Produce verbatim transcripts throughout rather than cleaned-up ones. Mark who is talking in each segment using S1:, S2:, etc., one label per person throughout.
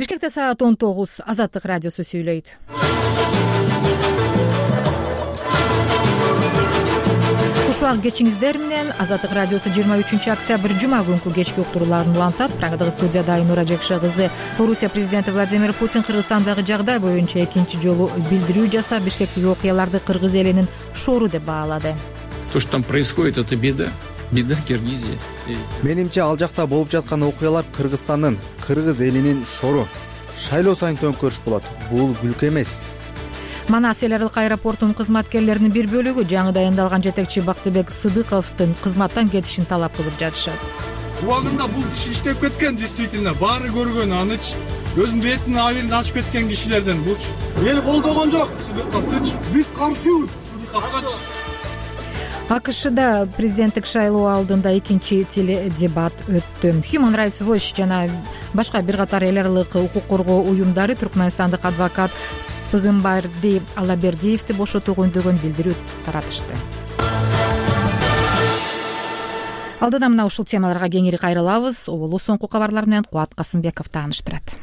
S1: Бишкекте саат он тогуз. Азаттык радиосу сүйлөйт. Кушубак кечиңиздер менен Азаттык радиосу жыйырма үчүнчү октябрь жума күнкү кечки уктурууларын улантат. Программадагы студияда Айнура Жекше кызы. Орусия президенти Владимир Путин Кыргызстандагы жагдай боюнча экинчи жолу билдирүү жасап, Бишкектеги окуяларды кыргыз элинин шору деп баалады.
S2: То, что там происходит, это беда. Беда Киргизии.
S3: Менимче ал жакта болуп жаткан окуялар Кыргызстандын, кыргыз элинин шору. Шайлоо сайын төңкөрүш болот. Бул күлкү эмес.
S1: Манас эл аралык аэропортунун кызматкерлеринин бир бөлүгү жаңы дайындалган жетекчи Бактыбек Сыдыковдун кызматтан кетишин талап кылып жатышат.
S4: Убагында бул киши иштеп кеткен, действительно, баары көргөн, аныч өзүнүн бетинин абилин ачып кеткен кишилерден булчу. Эл колдогон жок Сыдыковдучу. Биз каршыбыз Сыдыковгачы.
S1: АКШда президенттик шайлоо алдында экинчи теледебат өттү. Human Rights Watch жана башка бир катар эл аралык укук коргоо уюмдары түркмөнстандык адвокат Пыгымбарди Алабердиевди бошотуу жөнүндө билдирүү таратышты. Алдыда мына ушул темаларга кеңири кайрылабыз. Оболу соңку кабарлар менен Кубат Касымбеков тааныштырат.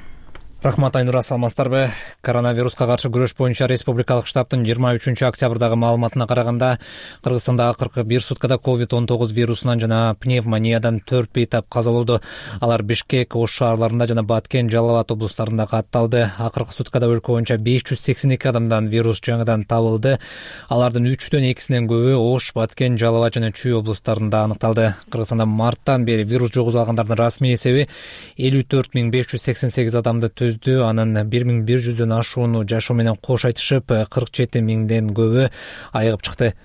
S5: Рахмат, Айнура, саламатсыздарбы? Коронавируска каршы күрөш боюнча республикалык штабтын жыйырма үчүнчү октябрдагы маалыматына караганда, Кыргызстанда акыркы бир суткада ковид он тогуз вирусунан жана пневмониядан төрт бейтап каза болду. Алар Бишкек, Ош шаарларында жана Баткен, Жалал Абад облустарында катталды. Акыркы суткада өлкө боюнча беш жүз сексен эки адамдан вирус жаңыдан табылды. Алардын үчтөн экисинен көбү Ош, Баткен, Жалал Абад жана Чүй облустарында аныкталды. Кыргызстанда марттан бери вирус жугузуп алгандардын расмий эсеби элүү төрт миң беш жүз сексен сегиз адамды анын бир миң бир жүздөн ашууну жашоо менен кош айтышып, кырк жети миңден көбү айыгып чыкты.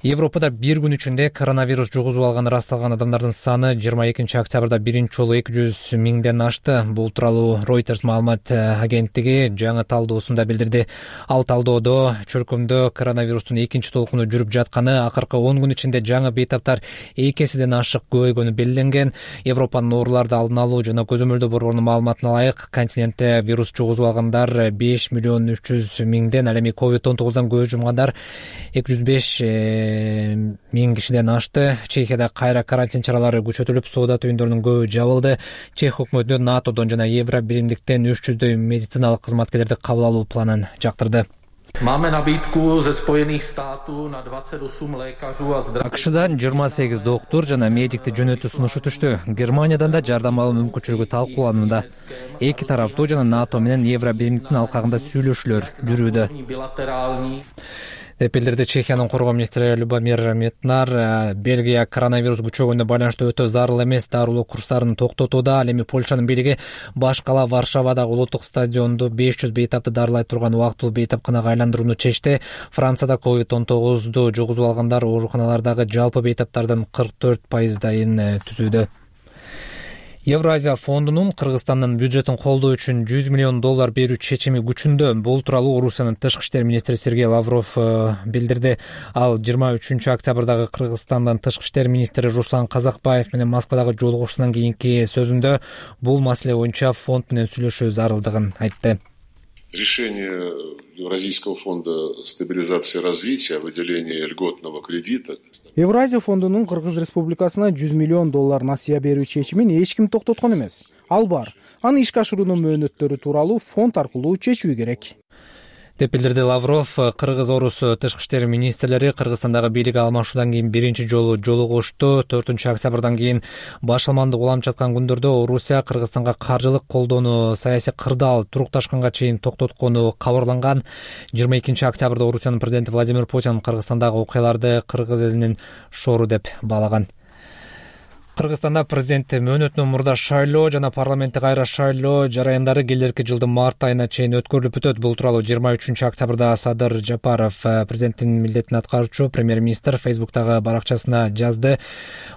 S5: Европада бир күн ичинде коронавирус жугузуп алганы ырасталган адамдардын саны жыйырма экинчи октябрда биринчи жолу эки жүз миңден ашты. Бул тууралуу Reuters маалымат агенттиги жаңы талдоосунда билдирди. Ал талдоодо чөлкөмдө коронавирустун экинчи толкуну жүрүп жатканы, акыркы он күн ичинде жаңы бейтаптар эки эседен ашык көбөйгөнү белгиленген. Европанын ооруларды алдын алуу жана көзөмөлдөө борборунун маалыматына ылайык, континентте вирус жугузуп алгандар беш миллион үч жүз миңден, ал эми ковид он тогуздан көз жумгандар эки жүз беш миң кишиден ашты. Чехияда кайра карантин чаралары күчөтүлүп, соода түйүндөрүнүн көбү жабылды. Чех өкмөтү НАТОдон жана Евро биримдиктен үч жүздөй медициналык кызматкерлерди кабыл алуу планын жактырды. АКШдан жыйырма сегиз доктур жана медикти жөнөтүү сунушу түштү. Германиядан да жардам алуу мүмкүнчүлүгү талкууланууда. Эки тараптуу жана НАТО менен Евро биримдиктин алкагында сүйлөшүүлөр жүрүүдө деп билдирди Чехиянын коргоо министри Любомир Метнар. Бельгия коронавирус күчөгөнүнө байланыштуу өтө зарыл эмес дарылоо курстарын токтотууда. Ал эми Польшанын бийлиги баш кала Варшавадагы улуттук стадионду беш жүз бейтапты дарылай турган убактылуу бейтапканага айландырууну чечти. Францияда ковид он тогузду жугузуп алгандар ооруканалардагы жалпы бейтаптардын кырк төрт пайыздайын түзүүдө. Евразия фондунун Кыргызстандын бюджетин колдоо үчүн жүз миллион доллар берүү чечими күчүндө. Бул тууралуу Орусиянын тышкы иштер министри Сергей Лавров билдирди. Ал жыйырма үчүнчү октябрдагы Кыргызстандын тышкы иштер министри Руслан Казакбаев менен Москвадагы жолугушуусунан кийинки сөзүндө бул маселе боюнча фонд менен сүйлөшүү зарылдыгын айтты.
S6: Решение Евразийского фонда стабилизации и развития о выделении льготного кредита.
S7: Евразия фондунун Кыргыз Республикасына жүз миллион доллар насыя берүү чечимин эч ким токтоткон эмес. Ал бар. Аны ишке ашыруунун мөөнөттөрү тууралуу фонд аркылуу чечүү керек
S5: деп билдирди Лавров. Кыргыз-Орус тышкы иштер министрлери Кыргызстандагы бийлик алмашуудан кийин биринчи жолу жолугушту. төртүнчү октябрдан кийин башалмандык уланып жаткан күндөрдө Орусия Кыргызстанга каржылык колдоону саясий кырдаал турукташканга чейин токтоткону кабарланган. жыйырма экинчи октябрда Орусиянын президенти Владимир Путин Кыргызстандагы окуяларды кыргыз элинин шору деп баалаган. Кыргызстанда президент мөөнөтүнөн мурда шайлоо жана парламенттик кайра шайлоо жараяндары келерки жылдын март айына чейин өткөрүлүп өтөт. Бул тууралуу жыйырма үчүнчү октябрда Садыр Жапаров, президенттин милдетин аткаруучу премьер-министр, Фейсбуктагы баракчасына жазды.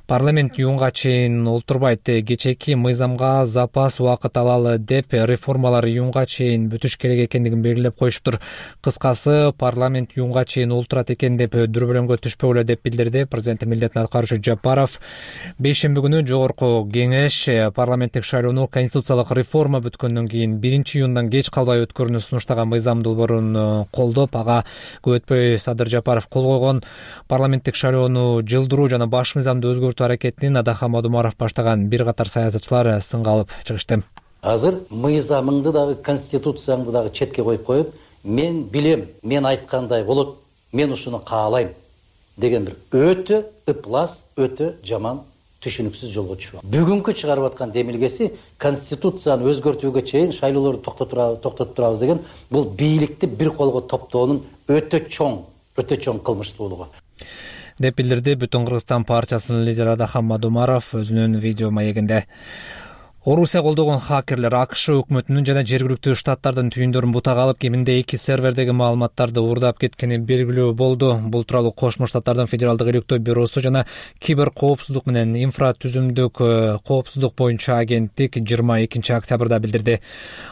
S5: Парламент июнга чейин олтурбайт. Кечээки мыйзамга запас убакыт алалы деп реформалар июнга чейин бүтүш керек экендигин белгилеп коюшуптур. Кыскасы, парламент июнга чейин олтурат экен деп дүрбөлөңгө түшпөгүлө деп билдирди президенттин милдетин аткаруучу Жапаров. Бейшемби күнү жогорку кеңеш парламенттик шайлоону конституциялык реформа бүткөндөн кийин биринчи июндан кеч калбай өткөрүүнү сунуштаган мыйзам долбоорун колдоп, ага көп өтпөй Садыр Жапаров кол койгон. Парламенттик шайлоону жылдыруу жана баш мыйзамды өзгөртүү аракетин Адахан Мадумаров баштаган бир катар саясатчылар сынга алып чыгышты.
S8: Азыр мыйзамыңды дагы, конституцияңды дагы четке коюп коюп, мен билем, мен айткандай болот, мен ушуну каалайм деген бир өтө ыплас, өтө жаман түшүнүксүз жолго түшүп. Бүгүнкү чыгарып аткан демилгеси конституцияны өзгөртүүгө чейин шайлоолорду токтотуп турабыз деген бул бийликти бир колго топтоонун өтө чоң, өтө чоң кылмыштуулугу
S5: деп билдирди Бүтүн Кыргызстан партиясынын лидери Адахан Мадумаров өзүнүн видео маегинде. Орусия колдогон хакерлер АКШ өкмөтүнүн жана жергиликтүү штаттардын түйүндөрүн бутага алып, кеминде эки сервердеги маалыматтарды уурдап кеткени белгилүү болду. Бул тууралуу Кошмо Штаттардын Федералдык иликтөө бюросу жана кибер коопсуздук менен инфратүзүмдүк коопсуздук боюнча агенттик жыйырма экинчи октябрда билдирди.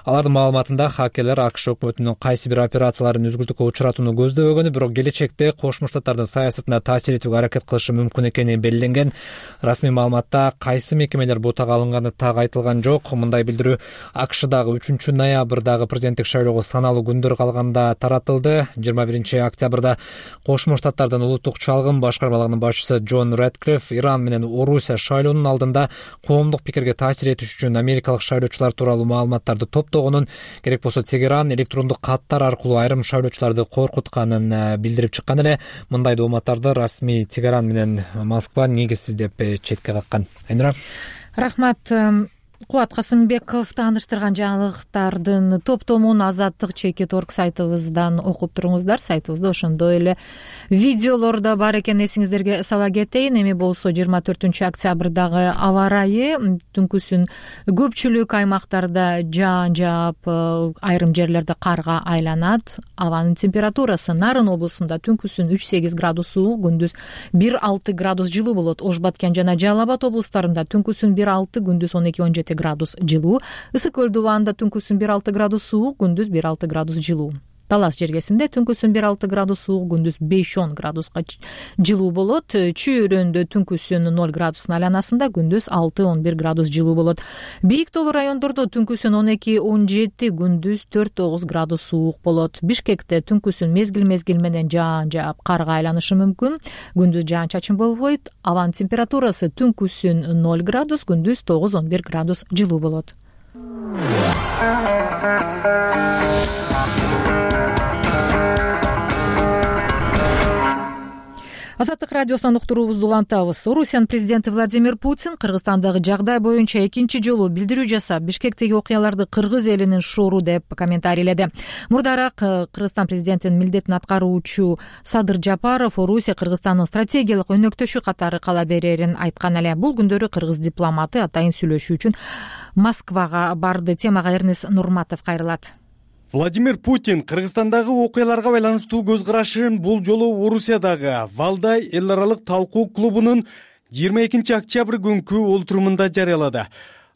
S5: Алардын маалыматында хакерлер АКШ өкмөтүнүн кайсы бир операцияларын үзгүлтүккө учуратууну көздөбөгөнү, бирок келечекте Кошмо Штаттардын саясатына таасир этүүгө аракет кылышы мүмкүн экени белгиленген. Расмий маалыматта кайсы мекемелер бутага алынганы так айтылган жок. Мындай билдирүү АКШдагы үчүнчү ноябрдагы президенттик шайлоого саналуу күндөр калганда таратылды. жыйырма биринчи октябрда Кошмо Штаттардын улуттук чалгын башкармалыгынын башчысы Джон Рэдклифф Иран менен Орусия шайлоонун алдында коомдук пикирге таасир этиш үчүн америкалык шайлоочулар тууралуу маалыматтарды топтогонун, керек болсо Тегеран электрондук каттар аркылуу айрым шайлоочуларды коркутканын билдирип чыккан эле. Мындай дооматтарды расмий Тегеран менен Москва негизсиз деп четке каккан. Айнура.
S1: Рахмат. Кубат Касымбеков тааныштырган жаңылыктардын топтомун Азаттык чекит орг сайтыбыздан окуп туруңуздар. Сайтыбызда ошондой эле видеолор да бар экен, эсиңиздерге сала кетейин. Эми болсо жыйырма төртүнчү октябрдагы аба ырайы түнкүсүн көпчүлүк аймактарда жаан жаап, айрым жерлерде карга айланат. Абанын температурасы Нарын облусунда түнкүсүн үч сегиз градус суук, күндүз бир алты градус жылуу болот. Ош Баткен жана Жалал Абад облустарында түнкүсүн бир алты, күндүз он эки он жети градус жылуу. Ысык көл дубаанда түнкүсүн бир алты градус суук, күндүз бир алты градус жылуу. Талас жергесинде түнкүсүн бир алты градус суук, күндүз беш он градуска жылуу болот. Чүйрөндө түнкүсүн ноль градустун айланасында, күндүз алты он бир градус жылуу болот. Бийик тоолуу райондордо түнкүсүн он эки он жети, күндүз төрт тогуз градус суук болот. Бишкекте түнкүсүн мезгил-мезгил менен жаан жаап, карга айланышы мүмкүн. Күндүз жаан чачын болбойт. Абанын температурасы түнкүсүн ноль градус, күндүз тогуз он бир градус жылуу болот. Азаттык радиосунан уктуруубузду улантабыз. Орусиянын президенти Владимир Путин Кыргызстандагы жагдай боюнча экинчи жолу билдирүү жасап, Бишкектеги окуяларды кыргыз элинин шору деп комментарийледи. Мурдараак Кыргызстан президентинин милдетин аткаруучу Садыр Жапаров Орусия Кыргызстандын стратегиялык өнөктөшү катары кала берерин айткан эле. Бул күндөрү кыргыз дипломаты атайын сүйлөшүү үчүн Москвага барды. Темага Эрнес Нурматов кайрылат.
S9: Владимир Путин Кыргызстандагы окуяларга байланыштуу көз карашын бул жолу Орусиядагы Валдай эл аралык талкуу клубунун жыйырма экинчи октябрь күнкү олтурумунда жарыялады.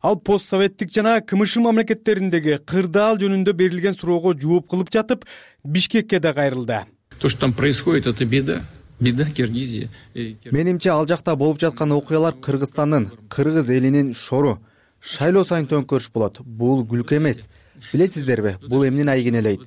S9: Ал постсоветтик жана КМШ мамлекеттериндеги кырдаал жөнүндө берилген суроого жооп кылып жатып, Бишкекке да кайрылды.
S2: То, что там происходит, это беда. Беда Киргизия.
S3: Менимче ал жакта болуп жаткан окуялар Кыргызстандын, кыргыз элинин шору. Шайлоо сайын төңкөрүш болот. Бул күлкү эмес. Билесиздерби, бул эмнени айгинелейт?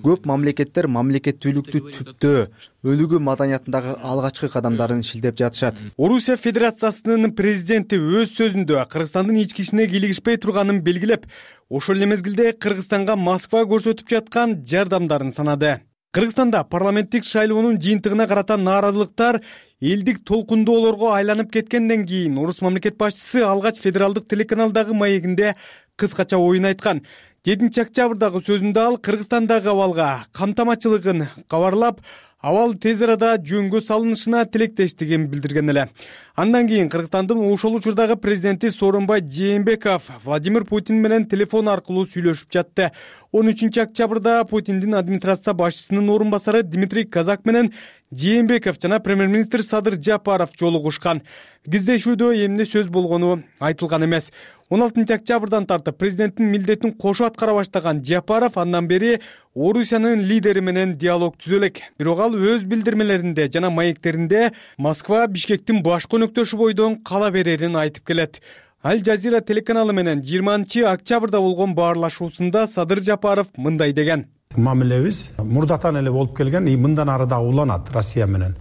S3: Көп мамлекеттер мамлекеттүүлүктү түптөө, өлүгү маданиятындагы алгачкы кадамдарын шилдеп жатышат.
S9: Орусия Федерациясынын президенти өз сөзүндө Кыргызстандын ички ишине кийлигишпей турганын белгилеп, ошол эле мезгилде Кыргызстанга Москва көрсөтүп жаткан жардамдарын санады. Кыргызстанда парламенттик шайлоонун жыйынтыгына карата нааразылыктар элдик толкундоолорго айланып кеткенден кийин орус мамлекет башчысы алгач федералдык телеканалдагы маегинде кыскача оюн айткан. жетинчи октябрдагы сөзүндө ал Кыргызстандагы абалга камтамачылыгын кабарлап, абал тез арада жөнгө салынышына тилектештигин билдирген эле. Андан кийин Кыргызстандын ошол учурдагы президенти Сооронбай Жээнбеков Владимир Путин менен телефон аркылуу сүйлөшүп жатты. он үчүнчү октябрда Путиндин администрация башчысынын орун басары Дмитрий Казак менен Жээнбеков жана премьер-министр Садыр Жапаров жолугушкан. Кездешүүдө эмне сөз болгону айтылган эмес. он алтынчы октябрдан тартып президенттин милдетин кошо аткара баштаган Жапаров андан бери Орусиянын лидери менен диалог түзө элек. Бирок ал өз билдирмелеринде жана маектеринде Москва Бишкектин башкы өнөктөшү бойдон кала берерин айтып келет. Аль Жазира телеканалы менен жыйырманчы октябрда болгон баарлашуусунда Садыр Жапаров мындай деген.
S10: Мамилебиз мурдатан эле болуп келген, и мындан ары да уланат Россия менен.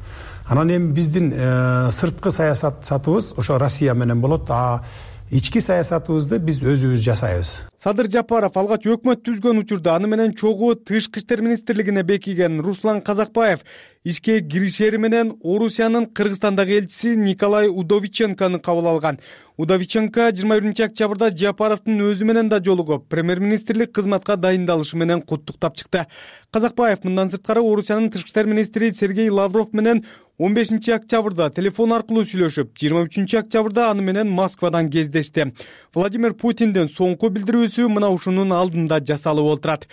S10: Анан эми биздин сырткы саясатыбыз ошо Россия менен болот, а ички саясатыбызды биз өзүбүз жасайбыз.
S9: Садыр Жапаров алгач өкмөт түзгөн учурда аны менен чогуу Тышкы иштер министрлигине бекиген Руслан Казакбаев ишке киришери менен Орусиянын Кыргызстандагы элчиси Николай Удовиченкону кабыл алган. Удовиченко жыйырма биринчи октябрда Жапаровдун өзү менен да жолугуп, премьер-министрлик кызматка дайындалышы менен куттуктап чыкты. Казакбаев мындан сырткары Орусиянын Тышкы иштер министри Сергей Лавров менен он бешинчи октябрда телефон аркылуу сүйлөшүп, жыйырма үчүнчү октябрда аны менен Москвадан кездешти. Владимир Путиндин соңку билдирүүсү мына ушунун алдында жасалып отурат.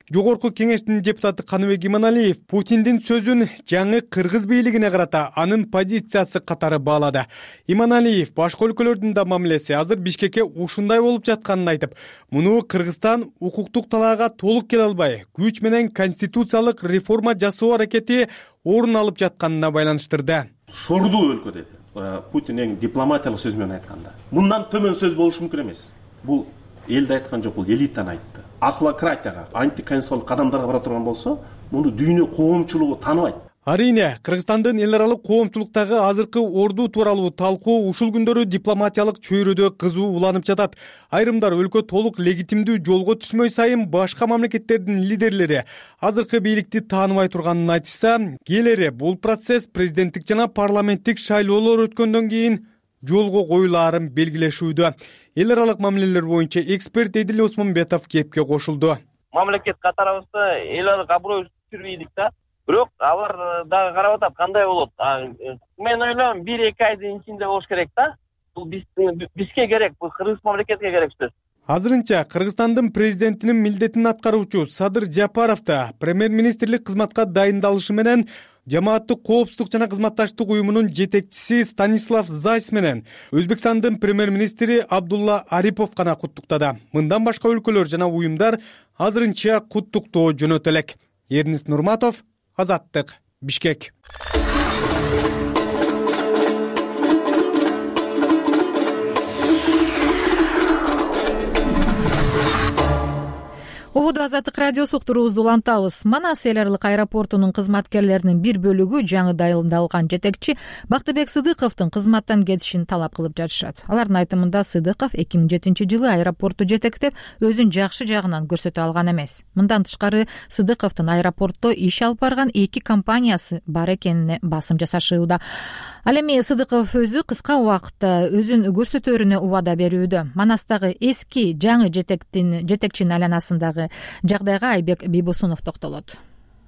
S9: Жогорку кеңештин депутаты Каныбек Иманалиев Путиндин сөзүн жаңы кыргыз бийлигине карата анын позициясы катары баалады. Иманалиев башка өлкөлөрдүн да мамилеси азыр Бишкекке ушундай болуп жатканын айтып, муну Кыргызстан укуктук талаага толук келе албай, күч менен конституциялык реформа жасоо аракети орун алып жатканына байланыштырды.
S11: Шордуу өлкө деди. Путин эң дипломатиялык сөз менен айтканда. Мындан төмөн сөз болушу мүмкүн эмес. Бул элде айткан жок, бул элитаны айтты. Ахлократияга, антиконституциялык кадамдарга бара турган болсо, муну дүйнө коомчулугу тааныбайт.
S9: Арийне, Кыргызстандын эл аралык коомчулуктагы азыркы орду тууралуу талкуу ушул күндөрү дипломатиялык чөйрөдө кызуу уланып жатат. Айрымдар өлкө толук легитимдүү жолго түшмөй сайын башка мамлекеттердин лидерлери азыркы бийликти тааныбай турганын айтышса, келери бул процесс президенттик жана парламенттик шайлоолор өткөндөн кийин жолго коюлаарын белгилешүүдө. Эл аралык мамилелер боюнча эксперт Эдил Осмонбетов кепке кошулду.
S12: Мамлекет катарыбызда эл аралык аброй түшүрбөйдүк да. Бирок алар дагы карап атат кандай болот. Мен ойлойм бир эки айдын ичинде болуш керек да. Бул бизге керек, бул кыргыз мамлекетке керек сөз.
S9: Азырынча Кыргызстандын президентинин милдетин аткаруучу Садыр Жапаров да премьер-министрлик кызматка дайындалышы менен Жамааттык коопсуздук жана кызматташтык уюмунун жетекчиси Станислав Зайс менен Өзбекстандын премьер-министри Абдулла Арипов гана куттуктады. Мындан башка өлкөлөр жана уюмдар азырынча куттуктоо жөнөтө элек. Эрнис Нурматов, Азаттык, Бишкек.
S1: Угуду Азаттык радиосу уктуруубузду улантабыз. Манас эл аралык аэропортунун кызматкерлеринин бир бөлүгү жаңы дайындалган жетекчи Бактыбек Сыдыковдун кызматтан кетишин талап кылып жатышат. Алардын айтымында Сыдыков эки миң жетинчи жылы аэропортту жетектеп, өзүн жакшы жагынан көрсөтө алган эмес. Мындан тышкары Сыдыковдун аэропортто иш алып барган эки компаниясы бар экенине басым жасашууда. Ал эми Сыдыков өзү кыска убакытта өзүн көрсөтөрүнө убада берүүдө. Манастагы эски жаңы жетектин жетекчинин айланасындагы жагдайга Айбек Бийбосунов токтолот.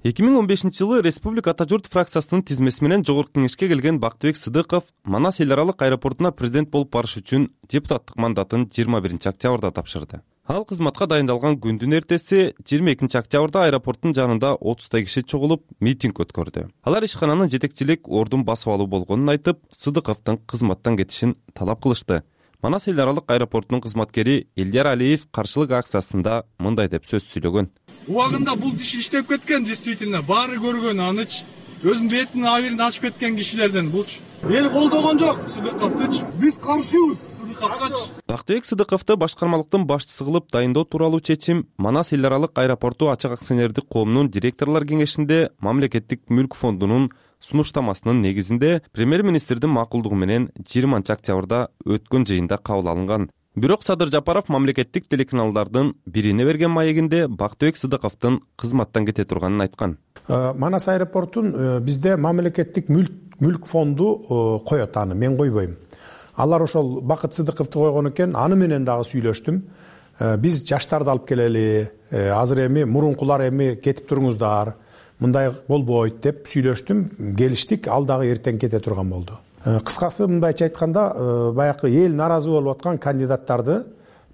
S13: эки миң он бешинчи жылы Республика Ата журт фракциясынын тизмеси менен Жогорку кеңешке келген Бактыбек Сыдыков Манас эл аралык аэропортуна президент болуп барыш үчүн депутаттык мандатын жыйырма биринчи октябрда тапшырды. Ал кызматка дайындалган күндүн эртеси жыйырма экинчи октябрда аэропорттун жанында отуздай киши чогулуп митинг өткөрдү. Алар ишкананын жетекчилик ордун басып алуу болгонун айтып, Сыдыковдун кызматтан кетишин талап кылышты. Манас эл аралык аэропортунун кызматкери Элдияр Алиев каршылык акциясында мындай деп сөз сүйлөгөн.
S4: Убагында бул иш иштеп кеткен, действительно баары көргөн аныч, өзүнүн бетинин абийирин ачып кеткен кишилерден булчу. Эл колдогон жок Сыдыковдучу. Биз каршыбыз Сыдыковгачы.
S13: Бактыбек Сыдыковду башкармалыктын башчысы кылып дайындоо тууралуу чечим Манас эл аралык аэропорту ачык акционердик коомунун директорлор кеңешинде мамлекеттик мүлк фондунун сунуштамасынын негизинде премьер-министрдин макулдугу менен жыйырманчы октябрда өткөн жыйында кабыл алынган. Бирок Садыр Жапаров мамлекеттик телеканалдардын бирине берген маегинде Бактыбек Сыдыковдун кызматтан кете турганын айткан.
S10: Манас аэропортун бизде мамлекеттик мүлк мүлк фонду коет, аны мен койбойм. Алар ошол Бакыт Сыдыковду койгон экен, аны менен дагы сүйлөштүм. Биз жаштарды алып келели, азыр эми мурункулар эми кетип туруңуздар, мындай болбойт деп сүйлөштүм, келиштик, ал дагы эртең кете турган болду. Кыскасы мындайча айтканда, баягы эл наразы болуп аткан кандидаттарды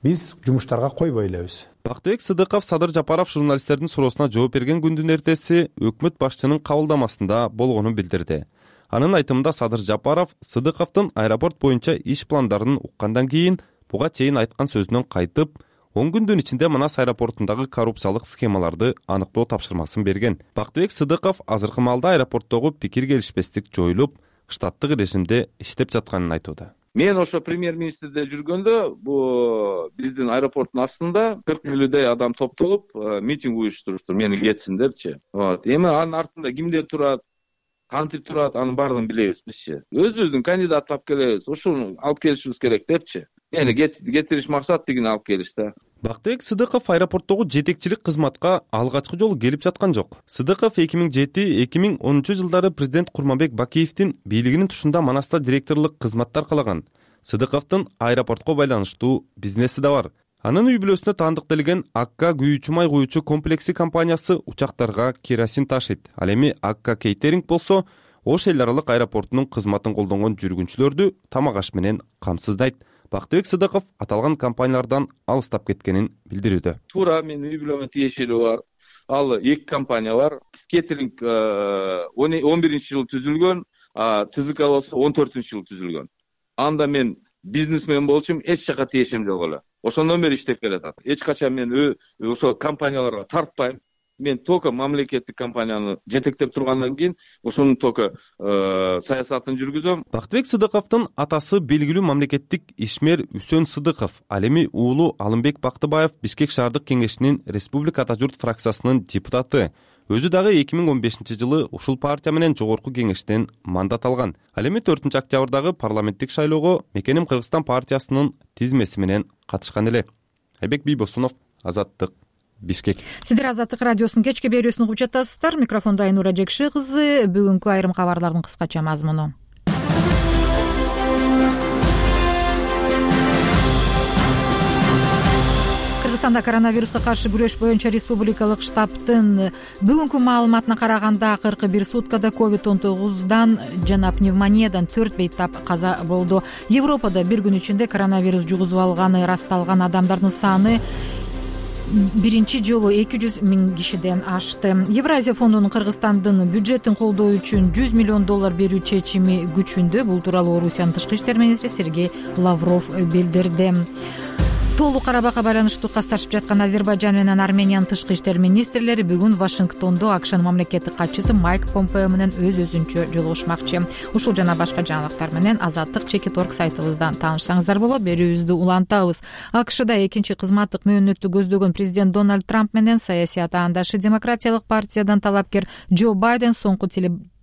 S10: биз жумуштарга койбой элебиз.
S13: Бактыбек Сыдыков Садыр Жапаров журналисттердин суроосуна жооп берген күндүн эртеси өкмөт башчынын кабылдамасында болгонун билдирди. Анын айтымында Садыр Жапаров Сыдыковдун аэропорт боюнча иш пландарын уккандан кийин буга чейин айткан сөзүнөн кайтып, он күндүн ичинде Манас аэропортундагы коррупциялык схемаларды аныктоо тапшырмасын берген. Бактыбек Сыдыков азыркы маалда аэропорттогу пикир келишпестик жоюлуп, штаттык режимде иштеп жатканын айтууда.
S14: Мен ошо премьер-министрде жүргөндө бу биздин аэропорттун астында кырк элүүдөй адам топтолуп митинг уюштуруштур, мени кетсин депчи. Вот. Эми анын артында кимдер турат, кантип турат, анын баардыгын билебиз бизчи. Өзүбүздүн кандидат алып келебиз, ушуну алып келишибиз керек депчи. Мени кетириш максат тигини алып келишти.
S13: Бактыбек Сыдыков аэропорттогу жетекчилик кызматка алгачкы жолу келип жаткан жок. Сыдыков эки миң жети эки миң онунчу жылдары президент Курманбек Бакиевдин бийлигинин тушунда Манаста директорлук кызматты аркалаган. Сыдыковдун аэропортко байланыштуу бизнеси да бар. Анын үй бүлөсүнө таандыкталган Акка күйүүчү май куючу комплекси компаниясы учактарга керосин ташыйт. Ал эми Акка Кейтеринг болсо Ош эл аралык аэропортунун кызматын колдонгон жүргүнчүлөрдү тамак аш менен камсыздайт. Бактыбек Сыдыков аталган компаниялардан алыстап кеткенин билдирүүдө.
S14: Туура менин үй бүлөмө тиешелүү бар. Ал эки компания бар. Кейтеринг он биринчи жылы түзүлгөн, ТЗК болсо он төртүнчү жылы түзүлгөн. Анда мен бизнесмен болчумун, эч жака тиешем жок эле. Ошондон бери иштеп келатат. Эч качан мен ошо компанияларга тартпайм. Мен только мамлекеттик компанияны жетектеп тургандан кийин ошонун только саясатын жүргүзөм.
S13: Бактыбек Сыдыковдун атасы белгилүү мамлекеттик ишмер Үсөн Сыдыков, ал эми уулу Алымбек Бактыбаев Бишкек шаардык кеңешинин Республика Ата журт фракциясынын депутаты. Өзү дагы эки миң он бешинчи жылы ушул партия менен жогорку кеңештен мандат алган. Ал эми төртүнчү октябрдагы парламенттик шайлоого Мекеним Кыргызстан партиясынын тизмеси менен катышкан эле. Айбек Бийбосунов, Азаттык, Бишкек.
S1: Сиздер Азаттык радиосунун кечки берүүсүн угуп жатасыздар. Микрофондо Айнура Жекши кызы. Бүгүнкү айрым кабарлардын кыскача мазмуну. Кыргызстанда коронавируска каршы күрөш боюнча республикалык штабтын бүгүнкү маалыматына караганда кырк бир суткада ковид он тогуздан жана пневмониядан төрт бейтап каза болду. Европада бир күн ичинде коронавирус жугузуп алганы ырасталган адамдардын саны биринчи жолу эки жүз миң кишиден ашты. Евразия фондунун Кыргызстандын бюджетин колдоо үчүн жүз миллион доллар берүү чечими күчүндө. Бул тууралуу Орусиянын тышкы иштер министри Сергей Лавров билдирди. Толук Карабакка байланыштуу касташып жаткан Азербайжан менен Армениянын тышкы иштер министрлери бүгүн Вашингтондо АКШнын мамлекеттик катчысы Майк Помпео менен өз өзүнчө жолугушмакчы. Ушул жана башка жаңылыктар менен Азаттык чекит орг сайтыбыздан таанышсаңыздар болот. Берүүбүздү улантабыз. АКШда экинчи кызматтык мөөнөттү көздөгөн президент Дональд Трамп менен саясий атаандашы Демократиялык партиядан талапкер Джо Байден соңку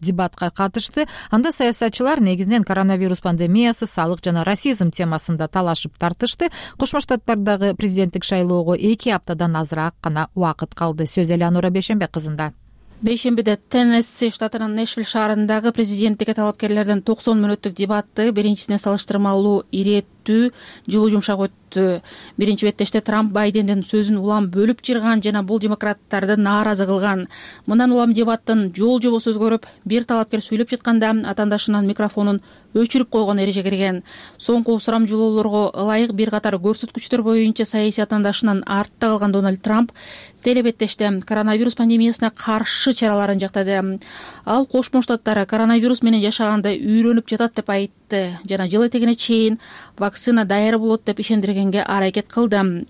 S1: дебатка катышты. Анда саясатчылар негизинен коронавирус пандемиясы, салык жана расизм темасында талашып тартышты. Кошмо Штаттардагы президенттик шайлоого эки аптадан азыраак гана убакыт калды. Сөз Элеонора Бейшембек кызында.
S15: Бейшембиде Теннесси штатынын Нэшвилл шаарындагы президенттикке талапкерлердин токсон мүнөттүк дебаты биринчисине салыштырмалуу ирээттүү, жылуу жумшак өттү. Биринчи беттеште Трамп Байдендин сөзүн улам бөлүп жырган жана бул демократтарды нааразы кылган. Мындан улам дебаттын жол жобосу өзгөрүп, бир талапкер сүйлөп жатканда атаандашынын микрофонун өчүрүп койгон эреже кирген. Соңку сурамжылоолорго ылайык бир катар көрсөткүчтөр боюнча саясий атаандашынан артта калган Дональд Трамп телебеттеште коронавирус пандемиясына каршы чараларын жактады. Ал Кошмо Штаттар коронавирус менен жашаганды үйрөнүп жатат деп айтты жана жыл этегине чейин вакцина даяр болот деп ишендиргенге аракет кылды.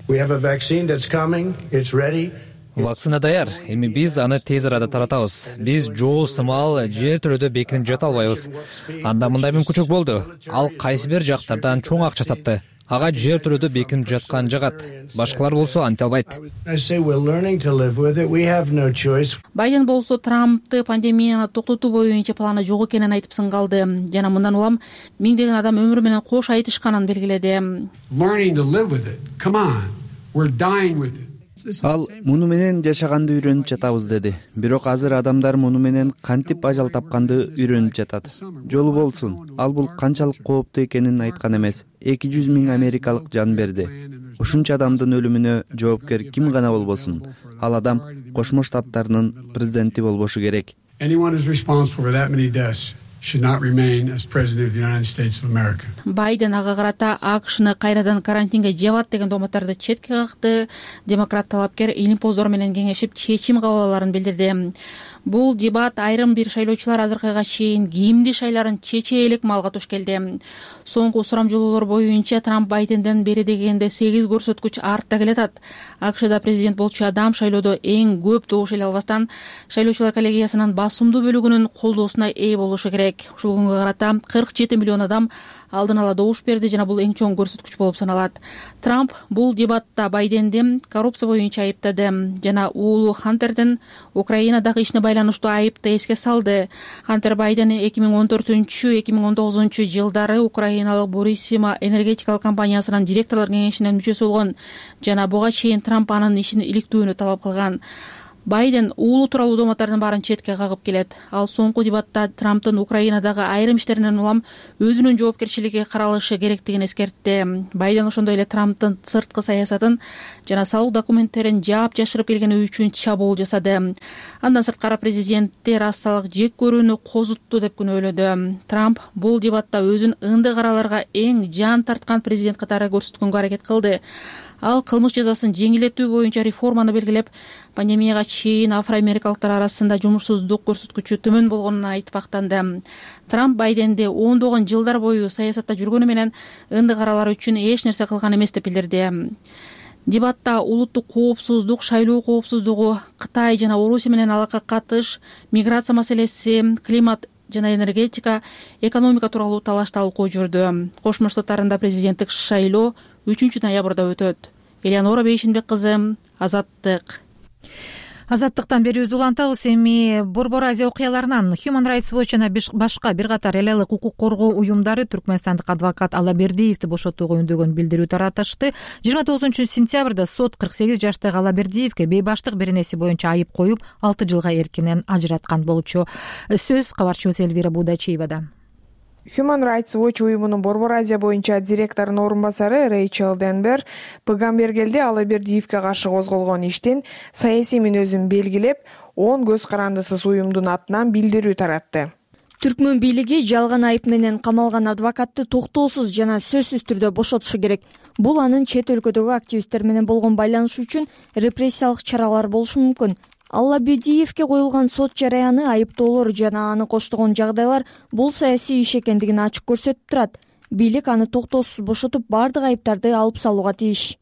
S5: Вакцина даяр, эми биз аны тез арада таратабыз. Биз жоо сымал жер төлөдө бекинип жата албайбыз. Анда мындай мүмкүнчүлүк болду. Ал кайсы бир жактардан чоң акча тапты. Ага жер төлөдө бекинип жаткан жагат. Башкалар болсо анте албайт.
S15: Байден болсо Трампты пандемияны токтотуу боюнча планы жок экенин айтып сынгалды жана мындан улам миңдеген адам өмүрү менен кош айтышканын белгиледи.
S16: Ал муну менен жашаганды үйрөнүп жатабыз деди. Бирок азыр адамдар муну менен кантип ажал тапканды үйрөнүп жатат. Жолу болсун. Ал бул канчалык кооптуу экенин айткан эмес. эки жүз миң америкалык жан берди. Ушунча адамдын өлүмүнө жоопкер ким гана болбосун. Ал адам Кошмо Штаттарынын президенти болбошу керек.
S15: Байден ага карата АКШны кайрадан карантинге жабат деген дооматтарды четке какты. Демократ талапкер илимпоздор менен кеңешип чечим кабыл аларын билдирди. Бул дебат айрым бир шайлоочулар азыркыга чейин кимди шайларын чече элек маалга туш келди. Соңку сурамжылоолор боюнча Трамп Байденден бери дегенде сегиз көрсөткүч артта келатат. АКШда президент болчу адам шайлоодо эң көп добуш эле албастан шайлоочулар коллегиясынын басымдуу бөлүгүнүн колдоосуна ээ болушу керек. керек. Ушул күнгө карата кырк жети миллион адам алдын ала добуш берди жана бул эң чоң көрсөткүч болуп саналат. Трамп бул дебатта Байденди коррупция боюнча айыптады жана уулу Хантердин Украинадагы ишине байланыштуу айыпты эске салды. Хантер Байден эки миң он төртүнчү эки миң он тогузунчу жылдары украиналык Бурисима энергетикалык компаниясынын директорлор кеңешинин мүчөсү болгон жана буга чейин Трамп анын ишин иликтүүнү талап кылган. Байден уулу тууралуу дооматтардын баарын четке кагып келет. Ал соңку дебатта Трамптын Украинадагы айрым иштеринен улам өзүнүн жоопкерчилиги каралышы керектигин эскертти. Байден ошондой эле Трамптын сырткы саясатын жана салык документтерин жаап жашырып келгени үчүн чабуул жасады. Андан сырткары президентти рассалык жек көрүүнү козутту деп күнөөлөдү. Трамп бул дебатта өзүн ындык араларга эң жан тарткан президент катары көрсөткөнгө аракет кылды. Ал кылмыш жазасын жеңилдетүү боюнча реформаны белгилеп, пандемияга чейин афроамерикалыктар арасында жумушсуздук көрсөткүчү төмөн болгонун айтып актанды. Трамп Байденди ондогон жылдар бою саясатта жүргөнү менен ындык аралар үчүн эч нерсе кылган эмес деп билдирди. Дебатта улуттук коопсуздук, шайлоо коопсуздугу, Кытай жана Орусия менен алакка катыш, миграция маселеси, климат жана энергетика, экономика тууралуу талаш талкуу жүрдү. Кошмо Штаттарында президенттик шайлоо үчүнчү ноябрда өтөт. Элеонора Бейшенбек кызы, Азаттык.
S1: Азаттыктан берүүбүздү улантабыз. Эми Борбор Азия окуяларынан Human Rights Watch жана башка бир катар эл элек укук коргоо уюмдары түркмөнстандык адвокат Алабердиевди бошотууга үндөгөн билдирүү таратышты. жыйырма тогузунчу сентябрда сот кырк сегиз жаштагы Алабердиевге бейбаштык беренеси боюнча айып коюп, алты жылга эркинен ажыраткан болчу. Сөз кабарчыбыз Элвира Будачиевада.
S17: Human Rights Watch уюмунун Борбор Азия боюнча директорунун орун басары Рейчел Денбер Пыгамбергелде Алабердиевге каршы козголгон иштин саясий мүнөзүн белгилеп, он көз карандысыз уюмдун атынан билдирүү таратты.
S18: Түркмөн бийлиги жалган айып менен камалган адвокатты токтоосуз жана сөзсүз түрдө бошотушу керек. Бул анын чет өлкөдөгү активисттер менен болгон байланышы үчүн репрессиялык чаралар болушу мүмкүн. Алабердиевге коюлган сот жараяны, айыптоолор жана аны коштогон жагдайлар бул саясий иш экендигин ачык көрсөтүп турат. Бийлик аны токтоосуз бошотуп, бардык айыптарды алып салууга тийиш,